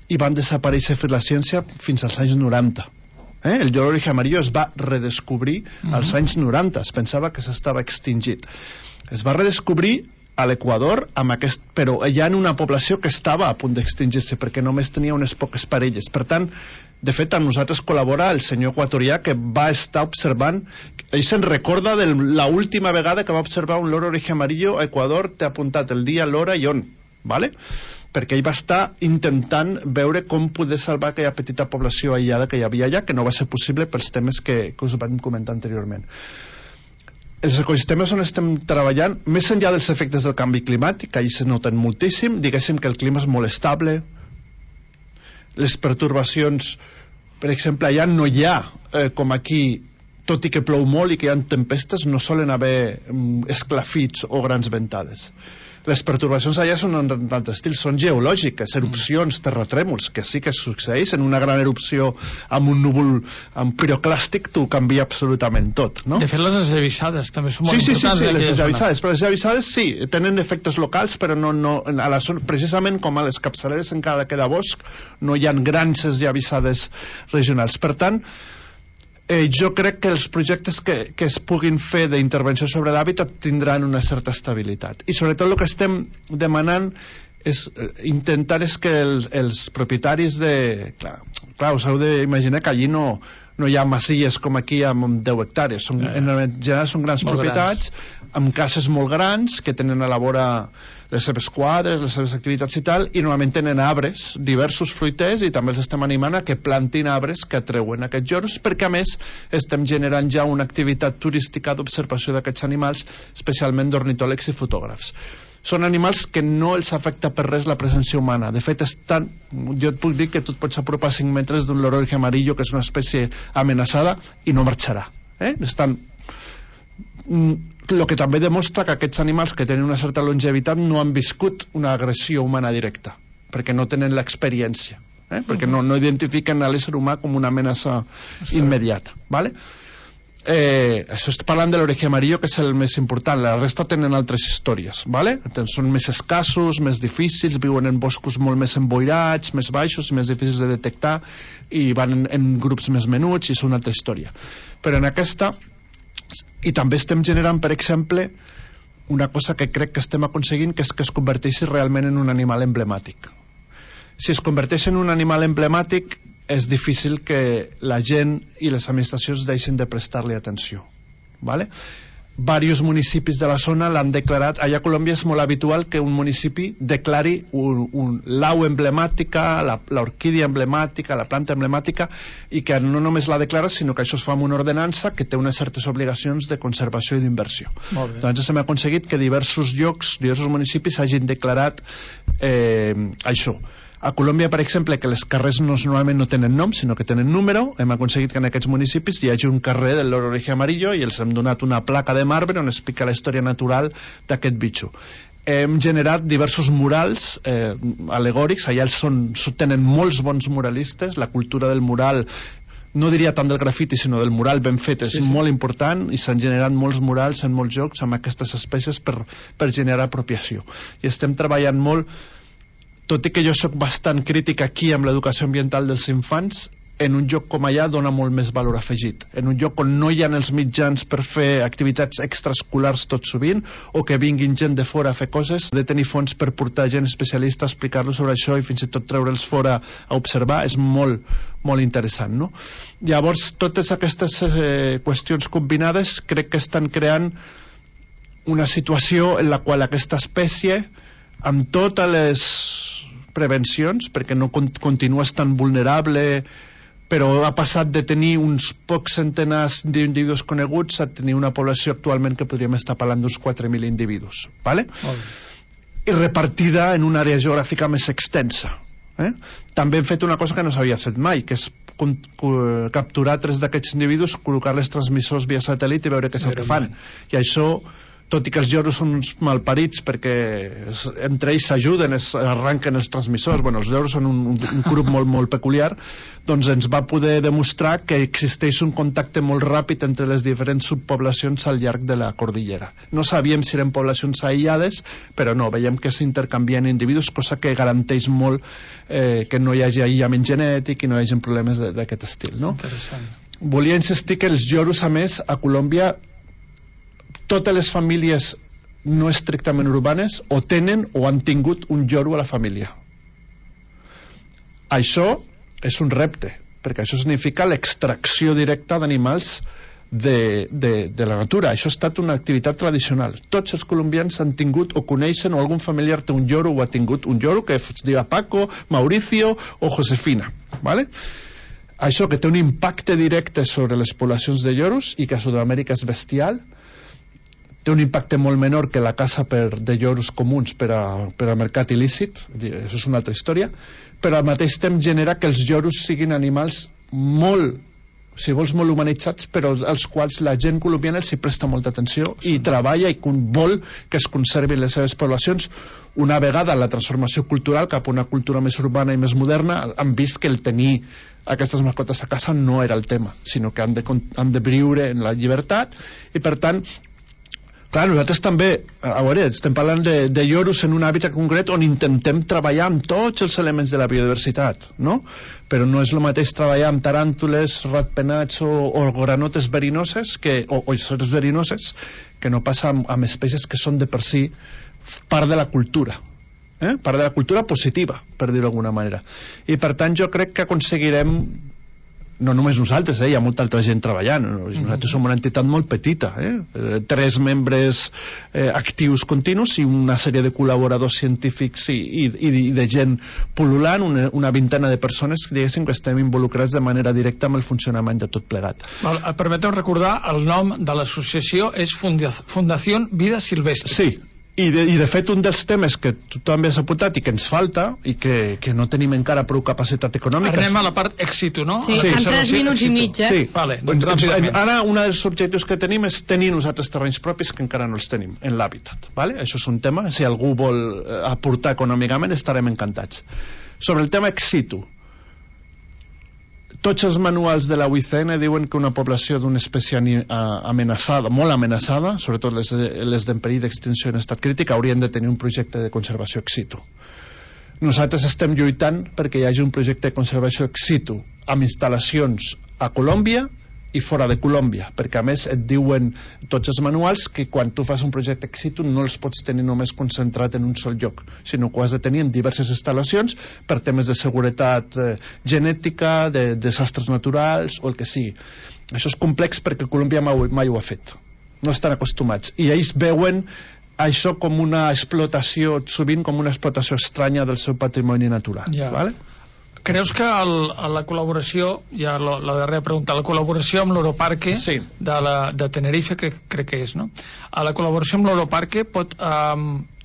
i van desaparèixer per la ciència fins als anys 90. El lloro oreja amarillo es va redescobrir als anys 90. Es pensava que s'estava extingit. Es va redescobrir a l'Equador, però ja en una població que estava a punt d'extingir-se perquè només tenia unes poques parelles. Per tant, de fet, amb nosaltres col·labora el senyor equatorià que va estar observant. Ell se'n recorda de l'última vegada que va observar un loro oreja amarillo a Equador. T'he apuntat el dia, l'hora i on, ¿vale? Perquè ell va estar intentant veure com poder salvar aquella petita població aïllada que hi havia allà, que no va ser possible pels temes que us vam comentar anteriorment. Els ecosistemes on estem treballant, més enllà dels efectes del canvi climàtic, que ahí se noten moltíssim, diguéssim que el clima és molt estable, les pertorbacions, per exemple, allà no hi ha, com aquí, tot i que plou molt i que hi ha tempestes, no solen haver esclafits o grans ventades. Les pertorbacions allà són en altre estil, són geològiques, erupcions, terratrèmols, que sí que succeeix. En una gran erupció amb un núvol amb piroclàstic t'ho canvia absolutament tot, no? De fet, les esllavissades també són molt importants. Sí, les esllavissades, però les esllavissades sí, tenen efectes locals, però no a la zona, precisament com a les capçaleres encara queda bosc, no hi ha grans esllavissades regionals. Per tant, jo crec que els projectes que es puguin fer d'intervenció sobre l'hàbitat tindran una certa estabilitat. I sobretot el que estem demanant és intentar que els propietaris de... Clar, us heu d'imaginar que allí no hi ha masies com aquí amb 10 hectàrees. En general són grans propietats, amb cases molt grans que tenen a la vora les seves quadres, les seves activitats i tal, i normalment tenen arbres, diversos fruiters, i també els estem animant a que plantin arbres que atreuen aquests lloros, perquè a més estem generant ja una activitat turística d'observació d'aquests animals, especialment d'ornitòlegs i fotògrafs. Són animals que no els afecta per res la presència humana. De fet, jo et puc dir que tu et pots apropar 5 metres d'un loro oreja amarillo, que és una espècie amenaçada, i no marxarà. El que també demostra que aquests animals que tenen una certa longevitat no han viscut una agressió humana directa, perquè no tenen l'experiència, perquè no identifiquen a l'ésser humà com una amenaça immediata, ¿vale? Això estic parlant de l'oreja amarillo, que és el més important. La resta tenen altres històries, ¿vale? Són més escassos, més difícils, viuen en boscos molt més emboirats, més baixos i més difícils de detectar, i van en grups més menuts, i és una altra història. Però en aquesta, i també estem generant, per exemple, una cosa que crec que estem aconseguint, que és que es converteixi realment en un animal emblemàtic. Si es converteix en un animal emblemàtic, és difícil que la gent i les administracions deixin de prestar-li atenció, ¿vale? Varios municipis de la zona l'han declarat. Allà a Colòmbia és molt habitual que un municipi declari l'au emblemàtica, l'orquídia emblemàtica, la planta emblemàtica, i que no només la declara, sinó que això es fa amb una ordenança que té unes certes obligacions de conservació i d'inversió. Doncs hem aconseguit que diversos llocs, diversos municipis hagin declarat això. A Colòmbia, per exemple, que les carrers normalment no tenen nom, sinó que tenen número, hem aconseguit que en aquests municipis hi hagi un carrer del loro oreja amarillo i els hem donat una placa de marbre on explica la història natural d'aquest bitxo. Hem generat diversos murals alegòrics, allà tenen molts bons muralistes, la cultura del mural, no diria tant del grafiti sinó del mural ben fet, és molt important, i s'han generat molts murals en molts llocs amb aquestes espècies per generar apropiació. I estem treballant molt, tot i que jo sóc bastant crític aquí amb l'educació ambiental dels infants, en un lloc com allà dona molt més valor afegit. En un lloc on no hi ha els mitjans per fer activitats extraescolars tot sovint, o que vinguin gent de fora a fer coses, de tenir fons per portar gent especialista a explicar-los sobre això i fins i tot treure'ls fora a observar, és molt, molt interessant, no? Llavors, totes aquestes qüestions combinades crec que estan creant una situació en la qual aquesta espècie, amb totes les prevencions, perquè no continua estant vulnerable, però ha passat de tenir uns pocs centenars d'individus coneguts a tenir una població actualment que podríem estar parlant d'uns 4.000 individus, ¿vale? I repartida en una àrea geogràfica més extensa. També hem fet una cosa que no s'havia fet mai, que és capturar 3 d'aquests individus, col·locar-les transmissors via satèl·lit i veure què és el que fan. I això tot i que els lloros són uns malparits perquè entre ells s'ajuden, arranquen els transmissors, els lloros són un grup molt, molt peculiar, doncs ens va poder demostrar que existeix un contacte molt ràpid entre les diferents subpoblacions al llarg de la cordillera. No sabíem si eren poblacions aïllades, però no, veiem que s'intercanvien individus, cosa que garanteix molt que no hi hagi aïllament genètic i no hi hagi problemes d'aquest estil, no? Interessant. Volia insistir que els lloros, a més, a Colòmbia, totes les famílies no estrictament urbanes o tenen o han tingut un lloro a la família. Això és un repte, perquè això significa l'extracció directa d'animals de la natura. Això ha estat una activitat tradicional. Tots els colombians han tingut o coneixen o algun familiar té un lloro o ha tingut un lloro que es diu Paco, Mauricio o Josefina, ¿vale? Això que té un impacte directe sobre les poblacions de lloros i que a Sud-amèrica és bestial, té un impacte molt menor que la caça de lloros comuns per a mercat il·lícit, això és una altra història, però al mateix temps genera que els lloros siguin animals molt, si vols, molt humanitzats, però als quals la gent colombiana els hi presta molta atenció i treballa i vol que es conservin les seves poblacions. Una vegada la transformació cultural cap a una cultura més urbana i més moderna, han vist que el tenir aquestes mascotes a casa no era el tema, sinó que han de viure en la llibertat i, per tant, clar, nosaltres també, a veure, estem parlant de lloros en un hàbitat concret on intentem treballar amb tots els elements de la biodiversitat, no? Però no és el mateix treballar amb taràntules, ratpenats o granotes verinoses o ossores verinoses que no passa amb espècies que són de per si part de la cultura, part de la cultura positiva, per dir-ho d'alguna manera. I per tant jo crec que aconseguirem, no només nosaltres, hi ha molta altra gent treballant, nosaltres som una entitat molt petita, 3 membres actius continus i una sèrie de col·laboradors científics i de gent pul·lulant, una vintena de persones que diguéssim que estem involucrats de manera directa amb el funcionament de tot plegat. Permeteu recordar, el nom de l'associació és Fundació Vida Silvestre. Sí, i de fet un dels temes que tu també has apuntat i que ens falta i que no tenim encara prou capacitat econòmica. Anem a la part èxito, no? Sí, en 3 minuts i mig, Sí, vale, doncs ràpidament. Ara un dels objectius que tenim és tenir nosaltres terrenys propis que encara no els tenim en l'hàbitat, vale? Això és un tema, si algú vol aportar econòmicament estarem encantats. Sobre el tema exitu, tots els manuals de la UICN diuen que una població d'una espècie amenaçada, molt amenaçada, sobretot les d'en perill d'extinció en estat crític, haurien de tenir un projecte de conservació ex situ. Nosaltres estem lluitant perquè hi hagi un projecte de conservació ex situ amb instal·lacions a Colòmbia i fora de Colòmbia, perquè a més et diuen tots els manuals que quan tu fas un projecte ex situ no els pots tenir només concentrat en un sol lloc, sinó que ho has de tenir en diverses instal·lacions per temes de seguretat genètica, de desastres naturals o el que sigui. Això és complex perquè Colòmbia mai ho ha fet, no estan acostumats i ells veuen això com una explotació, sovint com una explotació estranya del seu patrimoni natural. Vale? Creus que la col·laboració, ja la darrera pregunta, la col·laboració amb l'Europarque de Tenerife, que crec que és, no? La col·laboració amb l'Europarque pot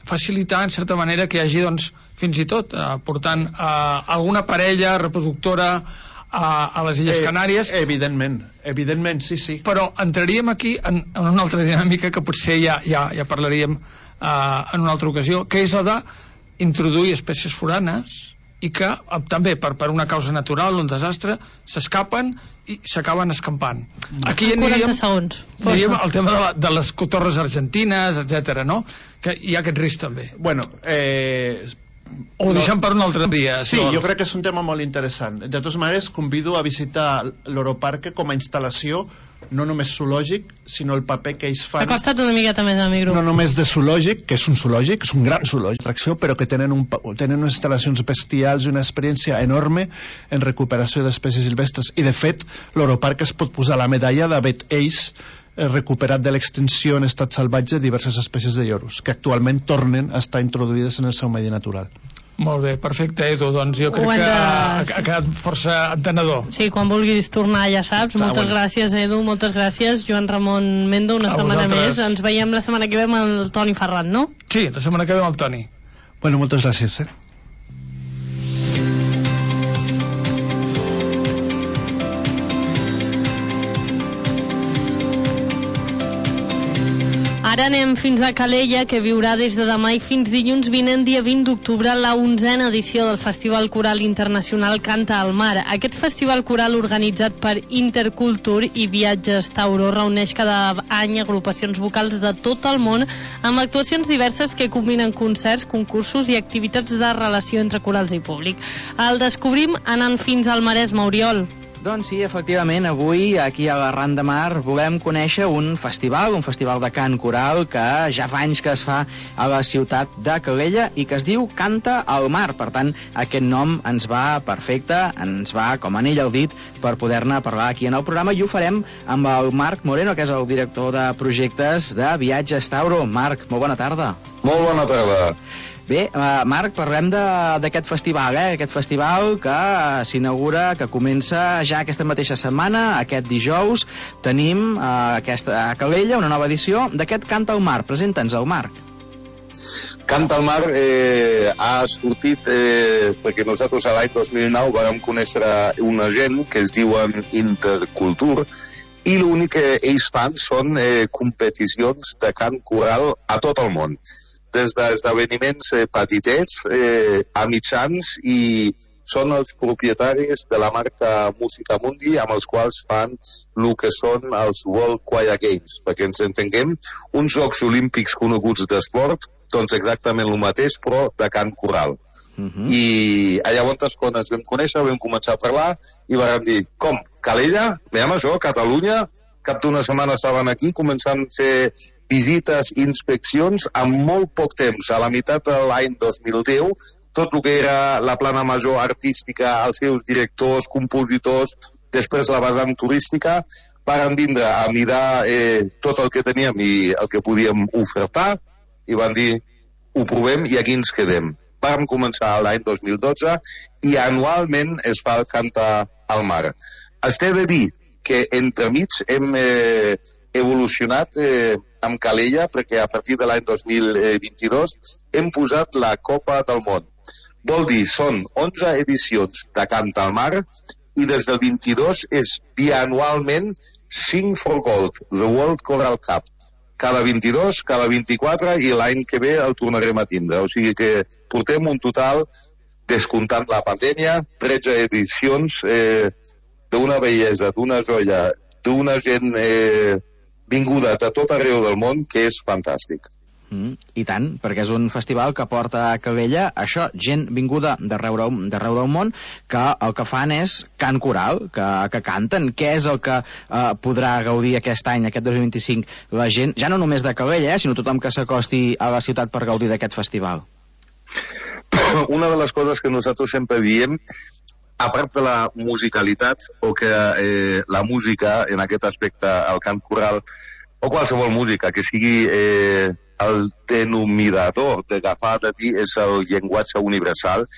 facilitar, en certa manera, que hi hagi, doncs, fins i tot, portant alguna parella reproductora a les Illes Canàries. Evidentment, sí. Però entraríem aquí en una altra dinàmica que potser ja parlaríem en una altra ocasió, que és la d'introduir espècies foranes i que també per una causa natural, un desastre, s'escapen i s'acaben escampant. Aquí aniríem el tema de les cotorres argentines, etc., no? Que hi ha aquest risc també. Bueno, ho deixem per un altre dia. Sí, jo crec que és un tema molt interessant. De totes maneres, convido a visitar l'Europarque com a instal·lació no només zoològic, sinó el paper que ells fan. Acosta't una miqueta més al micro. No només de zoològic, que és un zoològic, és un gran zoològic d'atracció, però que tenen unes instal·lacions bestials i una experiència enorme en recuperació d'espècies silvestres. I de fet, l'Europarc es pot posar la medalla d'haver ells recuperat de l'extinció en estat salvatge diverses espècies de lloros, que actualment tornen a estar introduïdes en el seu medi natural. Molt bé, perfecte, Edu, doncs jo crec que ha quedat força entenedor. Sí, quan vulguis tornar ja saps. Moltes gràcies, Edu, moltes gràcies, Joan Ramon Mendo, una setmana més. Ens veiem la setmana que ve amb el Toni Ferran, no? Sí, la setmana que ve amb el Toni. Bueno, moltes gràcies, Ara anem fins a Calella, que viurà des de demà i fins dilluns vinent, dia 20 d'octubre, la 11a edició del Festival Coral Internacional Canta al Mar. Aquest festival coral, organitzat per Intercultur i Viatges Tauró, reuneix cada any agrupacions vocals de tot el món amb actuacions diverses que combinen concerts, concursos i activitats de relació entre corals i públic. El descobrim anant fins al Maresme, Oriol. Doncs sí, efectivament, avui aquí a la Ran de Mar volem conèixer un festival de cant coral que ja fa anys que es fa a la ciutat de Calella i que es diu Canta al Mar. Per tant, aquest nom ens va perfecte, ens va com anell al dit per poder-ne parlar aquí en el programa, i ho farem amb el Marc Moreno, que és el director de projectes de Viatges Tauró. Marc, molt bona tarda. Molt bona tarda. Bé, Marc, parlem d'aquest festival, aquest festival que s'inaugura, que comença ja aquesta mateixa setmana, aquest dijous. Tenim a Calella una nova edició d'aquest Canta al Mar. Presenta'ns el Marc. Canta al Mar ha sortit perquè nosaltres l'any 2009 vam conèixer una gent que es diuen Intercultur, i l'únic que ells fan són competicions de cant coral a tot el món, des d'esdeveniments petitets a mitjans, i són els propietaris de la marca Música Mundi, amb els quals fan el que són els World Choir Games, perquè ens entenguem, uns Jocs Olímpics coneguts d'esport, doncs exactament el mateix, però de cant coral. I llavors, quan ens vam conèixer, vam començar a parlar i vam dir, com, Calella? Veiem això, Catalunya? Cap d'una setmana estaven aquí començant a fer visites, inspeccions, en molt poc temps. A la meitat de l'any 2010, tot el que era la plana major artística, els seus directors, compositors, després la vessant turística, varen vindre a mirar tot el que teníem i el que podíem ofertar, i van dir, ho provem i aquí ens quedem. Vam començar l'any 2012 i anualment es fa el Canta al Mar. Es té de dir que entremig hem evolucionat amb Calella, perquè a partir de l'any 2022 hem posat la Copa del Món. Vol dir, són 11 edicions de Canta al Mar, i des del 22 és bianualment Sing for Gold, The World Choral Cup. Cada 22, cada 24, i l'any que ve el tornarem a tindre. O sigui que portem un total, descomptant la pandèmia, 13 edicions d'una bellesa, d'una joia, d'una gent vinguda de tot arreu del món, que és fantàstic. I tant, perquè és un festival que porta a Calella això, gent vinguda d'arreu del món, que el que fan és cant coral, que canten. Què és el que podrà gaudir aquest any, aquest 2025, la gent, ja no només de Calella, sinó tothom que s'acosti a la ciutat per gaudir d'aquest festival? Una de les coses que nosaltres sempre diem, a part de la musicalitat, o que la música, en aquest aspecte, el cant coral, o qualsevol música, que sigui el denominador d'agafar de dir és el llenguatge universal,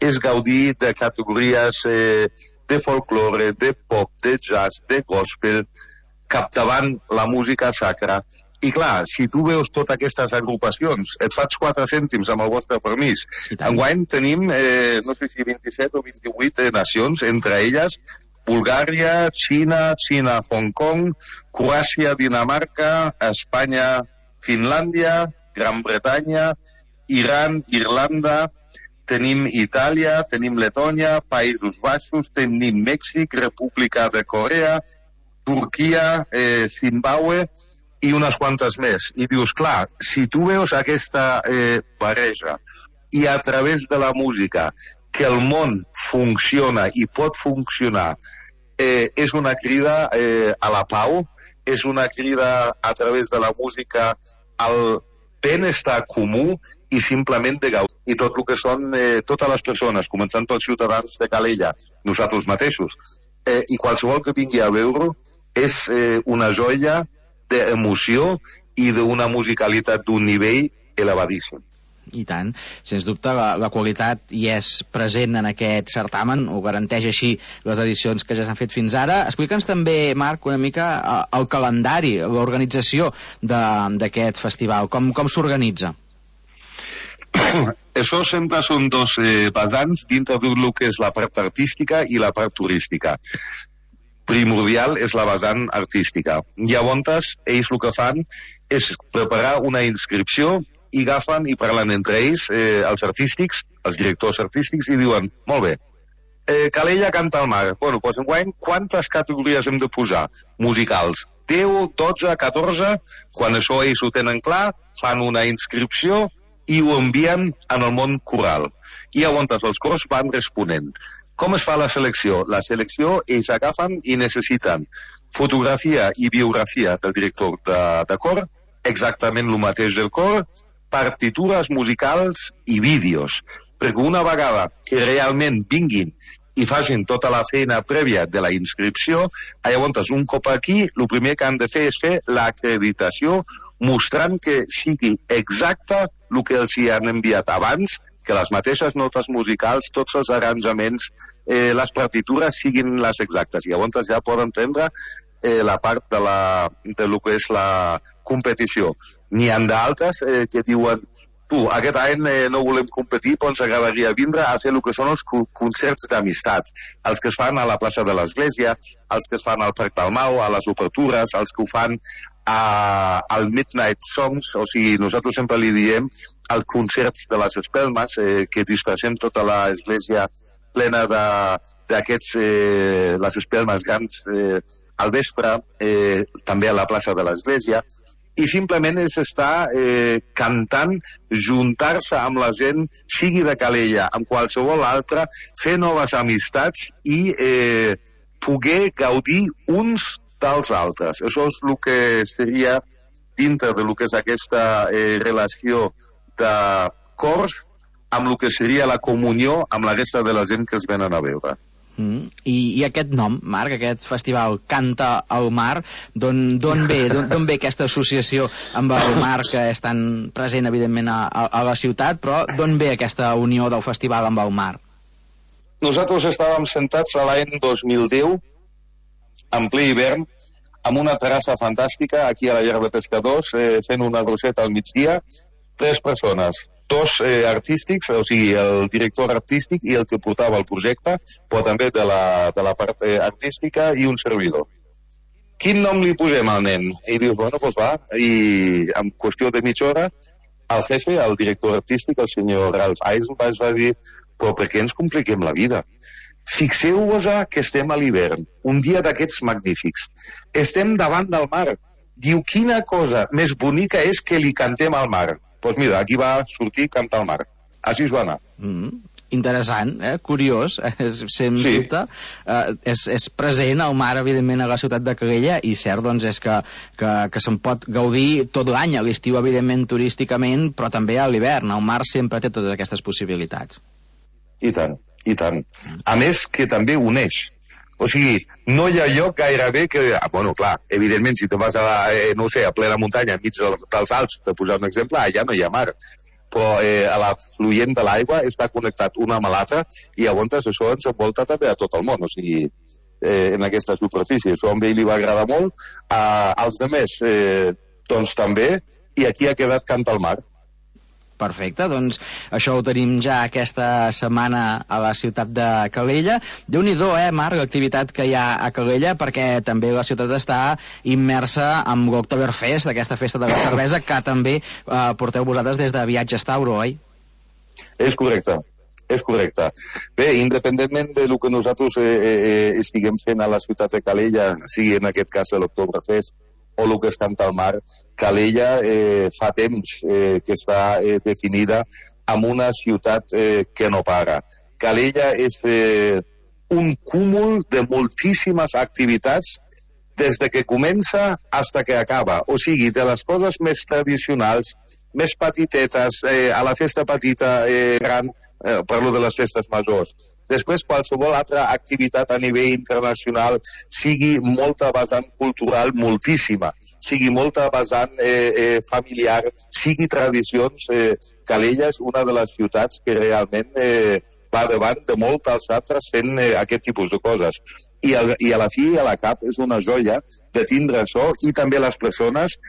és gaudir de categories de folklore, de pop, de jazz, de gospel, captavant la música sacra. I clar, si tu veus totes aquestes agrupacions, et faig 4 cèntims amb el vostre permís. Enguany tenim, no sé si 27 o 28 nacions, entre elles Bulgària, Xina, Hong Kong, Croàcia, Dinamarca, Espanya, Finlàndia, Gran Bretanya, Iran, Irlanda, tenim Itàlia, tenim Letònia, Països Baixos, tenim Mèxic, República de Corea, Turquia, Zimbabue i unes quantes més. I dius, clar, si tu veus aquesta barreja i a través de la música que el món funciona i pot funcionar, és una crida a la pau, és una crida a través de la música al benestar comú i simplement de gaudir. I tot el que són totes les persones, començant pels ciutadans de Calella, nosaltres mateixos, i qualsevol que vingui a veure, és una joia d'emoció i d'una musicalitat d'un nivell elevadíssim. I tant, sens dubte la qualitat hi és present en aquest certamen, ho garanteix així les edicions que ja s'han fet fins ara. Explica'ns també, Marc, una mica el calendari, l'organització d'aquest festival, com s'organitza? Això sempre són dos vessants dintre del que és la part artística i la part turística. primordial és la vessant artística. Llavors, ells el que fan és preparar una inscripció i agafen i parlen entre ells, els artístics, els directors artístics, i diuen, molt bé, Calella canta al mar. Bueno, doncs enguany, quantes categories hem de posar? Musicals. 10, 12, 14, quan això ells ho tenen clar, fan una inscripció i ho envien en el món coral. I llavors els cors van responent. Com es fa la selecció? La selecció ells agafen i necessiten fotografia i biografia del director de cor, exactament el mateix del cor, partitures musicals i vídeos. Perquè una vegada que realment vinguin i facin tota la feina prèvia de la inscripció, llavors un cop aquí, el primer que han de fer és fer l'acreditació mostrant que sigui exacte el que els hi han enviat abans, que les mateixes notes musicals, tots els arranjaments, les partitures siguin les exactes. Llavors ja poden prendre la part de lo que és la competició. N'hi ha d'altres que diuen aquest any no volem competir, però ens agradaria vindre a fer el que són els concerts d'amistat, els que es fan a la plaça de l'Església, els que es fan al Parc del Mau, a les obertures, els que ho fan al Midnight Songs, o sigui, nosaltres sempre li diem els concerts de les espelmes, que disfressem tota l'església plena d'aquests, les espelmes grans al vespre, també a la plaça de l'Església, i simplement és estar cantant, juntar-se amb la gent, sigui de Calella, amb qualsevol altra, fer noves amistats i poder gaudir uns dels altres. Això és el que seria dintre del que és aquesta relació de cors amb el que seria la comunió amb la resta de la gent que es venen a veure. I aquest nom, Marc, aquest festival Canta al Mar, d'on ve aquesta associació amb el mar que és tan present evidentment a la ciutat, però d'on ve aquesta unió del festival amb el mar? Nosaltres estàvem sentats a l'any 2010 en ple hivern amb una terrassa fantàstica aquí a la llar de pescadors, fent una roseta al migdia, 3 persones, 2 artístics, o sigui, el director artístic i el que portava el projecte, però també de la part artística, i un servidor. Quin nom li posem al nen? I dius, bueno, doncs va, i en qüestió de mitja hora, el jefe, el director artístic, el senyor Ralph Eisenbach, va dir, però per què ens compliquem la vida? Fixeu-vos que estem a l'hivern, un dia d'aquests magnífics. Estem davant del mar. Diu, quina cosa més bonica és que li cantem al mar. Doncs mira, aquí va sortir Cantar al Mar. Així es va anar. Interessant, curiós, sens dubte. És present el mar, evidentment, a la ciutat de Calella, i cert, doncs, és que se'n pot gaudir tot l'any, a l'estiu, evidentment, turísticament, però també a l'hivern. El mar sempre té totes aquestes possibilitats. I tant, i tant. A més, que també uneix. O sigui, no hi ha lloc gairebé que... Bueno, clar, evidentment, si te vas a plena muntanya, enmig dels Alps, per posar un exemple, allà no hi ha mar. Però a la fluent de l'aigua està connectat una amb l'altra i llavors això ens envolta també a tot el món, o sigui, en aquesta superfície. Això a ell li va agradar molt, als altres, doncs també, i aquí ha quedat Canta al Mar. Perfecte, doncs això ho tenim ja aquesta setmana a la ciutat de Calella. Déu-n'hi-do, Marc, l'activitat que hi ha a Calella, perquè també la ciutat està immersa amb l'Oktoberfest, aquesta festa de la cervesa, que també porteu vosaltres des de Viatges Tauro, oi? És correcte. Bé, independentment de lo que nosaltres estiguem fent a la ciutat de Calella, sigui en aquest cas l'Oktoberfest, o el que es Canta al Mar, Calella fa temps que està definida amb una ciutat que no para. Calella és un cúmul de moltíssimes activitats des de que comença fins que acaba. O sigui, de les coses més tradicionals, més petitetes, a la festa petita, gran, parlo de les festes majors. Després, qualsevol altra activitat a nivell internacional, sigui molta vessant cultural, moltíssima, sigui molta vessant familiar, sigui tradicions, Calella és una de les ciutats que realment va davant de moltes altres fent aquest tipus de coses. I a la fi i a la cap és una joia de tindre això, i també les persones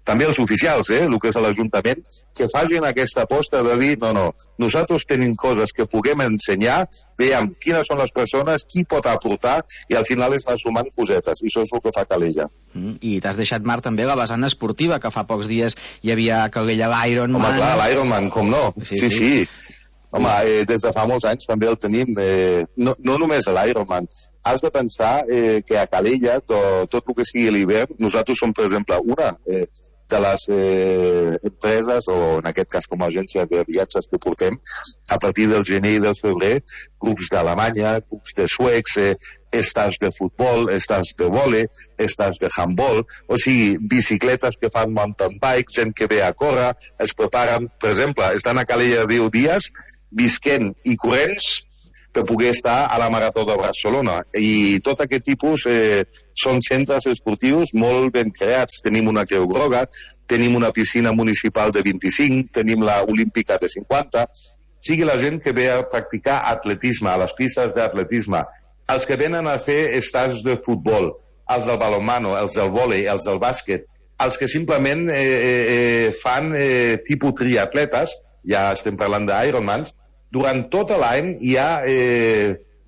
també els oficials, el que és l'Ajuntament, que facin aquesta aposta de dir, no, nosaltres tenim coses que puguem ensenyar, veiem quines són les persones, qui pot aportar, i al final és anar sumant cosetes, i això és el que fa Calella. I t'has deixat, Marc, també la vessant esportiva, que fa pocs dies hi havia a Calella l'Ironman. Home, clar, l'Ironman, com no? Sí. Home, des de fa molts anys també el tenim. No només l'Ironman. Has de pensar que a Calella, tot el que sigui l'hivern, nosaltres som, per exemple, una de les empreses, o en aquest cas com a agència de viatges que portem, a partir del gener i del febrer, grups d'Alemanya, grups de suecs, estats de futbol, estats de vòlei, estats de handball, o sigui, bicicletes que fan mountain bike, gent que ve a córrer, es preparen, per exemple, estan a Calella 10 dies, visquent i corrents per poder estar a la Marató de Barcelona. I tot aquest tipus són centres esportius molt ben creats. Tenim una Creu Groga, tenim una piscina municipal de 25, tenim la olímpica de 50. Sigui la gent que ve a practicar atletisme, a les pistes d'atletisme, els que venen a fer estats de futbol, els del balonmano, els del vòlei, els del bàsquet, els que simplement fan tipus triatletes, ja estem parlant d'Ironmans, durant tot l'any hi ha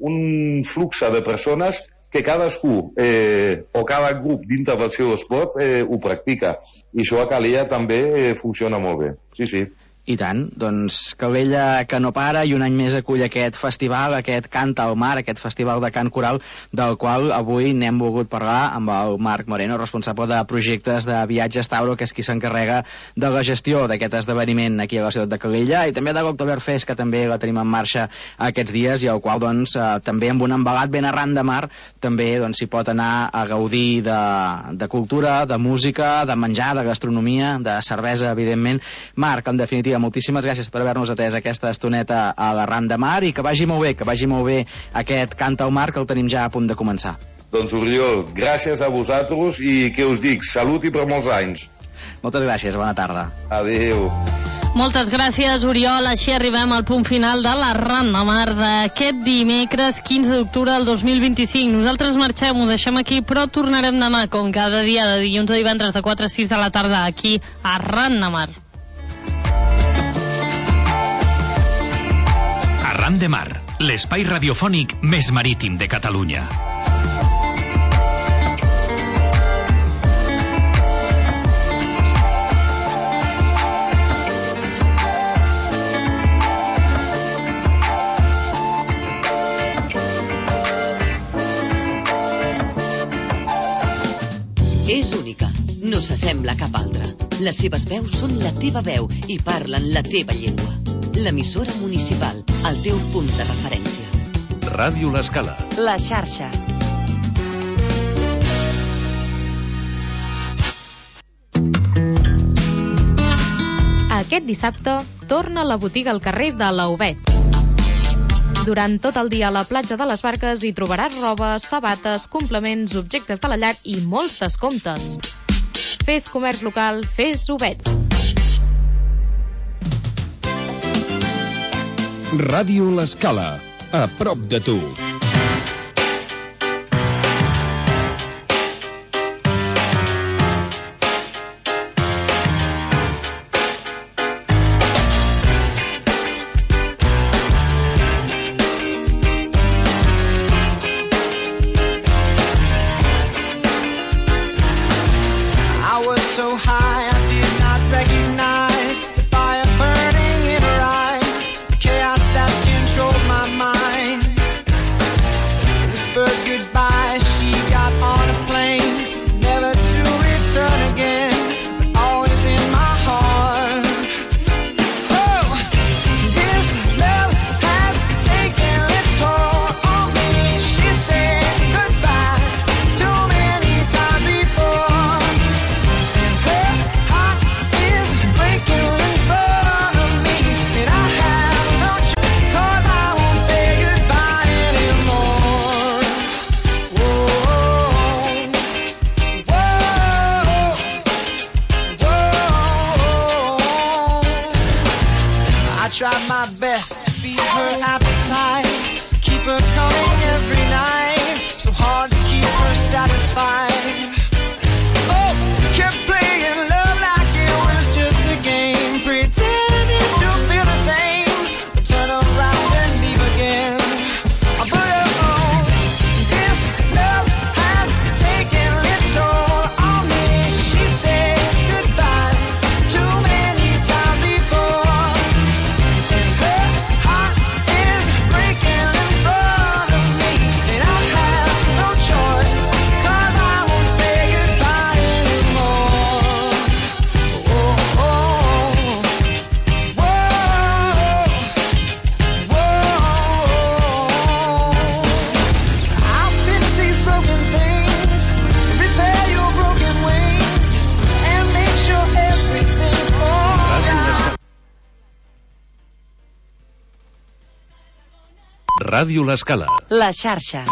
un flux de persones que cadascú o cada grup dintre del seu esport ho practica. I això a Calella també funciona molt bé. Sí. I tant, doncs Calella que no para i un any més acull aquest festival, aquest Canta al Mar, aquest festival de cant coral, del qual avui n'hem volgut parlar amb el Marc Moreno, responsable de projectes de Viatges Tauro, que és qui s'encarrega de la gestió d'aquest esdeveniment aquí a la ciutat de Calella, i també de l'Oktoberfest, que també la tenim en marxa aquests dies, i al qual doncs també amb un embalat ben arran de mar també s'hi pot anar a gaudir de cultura, de música, de menjar, de gastronomia, de cervesa, evidentment. Marc, en definitiva, moltíssimes gràcies per haver-nos atès aquesta estoneta a l'Arran de Mar, i que vagi molt bé aquest Canta al Mar, que el tenim ja a punt de començar. Doncs Oriol, gràcies a vosaltres i què us dic, salut i per molts anys. Moltes gràcies, bona tarda. Adéu. Moltes gràcies, Oriol. Així arribem al punt final de l'Arran de Mar d'aquest dimecres 15 d'octubre del 2025. Nosaltres marxem, ho deixem aquí, però tornarem demà, com cada dia, de dilluns a divendres de 4 a 6 de la tarda, aquí a Arran de Mar. Arran de Mar, l'espai radiofònic més marítim de Catalunya. És única, no s'assembla a cap altra. Les seves veus són la teva veu i parlen la teva llengua. L'emissora municipal, el teu punt de referència. Ràdio L'Escala. La xarxa. Aquest dissabte torna la botiga al carrer de l'Auvet. Durant tot el dia a la platja de les Barques hi trobaràs roba, sabates, complements, objectes de la llar i molts descomptes. Fes comerç local, fes Auvet. Ràdio L'Escala, a prop de tu. tried my best to feed her appetite, keep her coming every night, so hard to keep her satisfied. Oh, kept playing love like Ràdio L'Escala. La xarxa.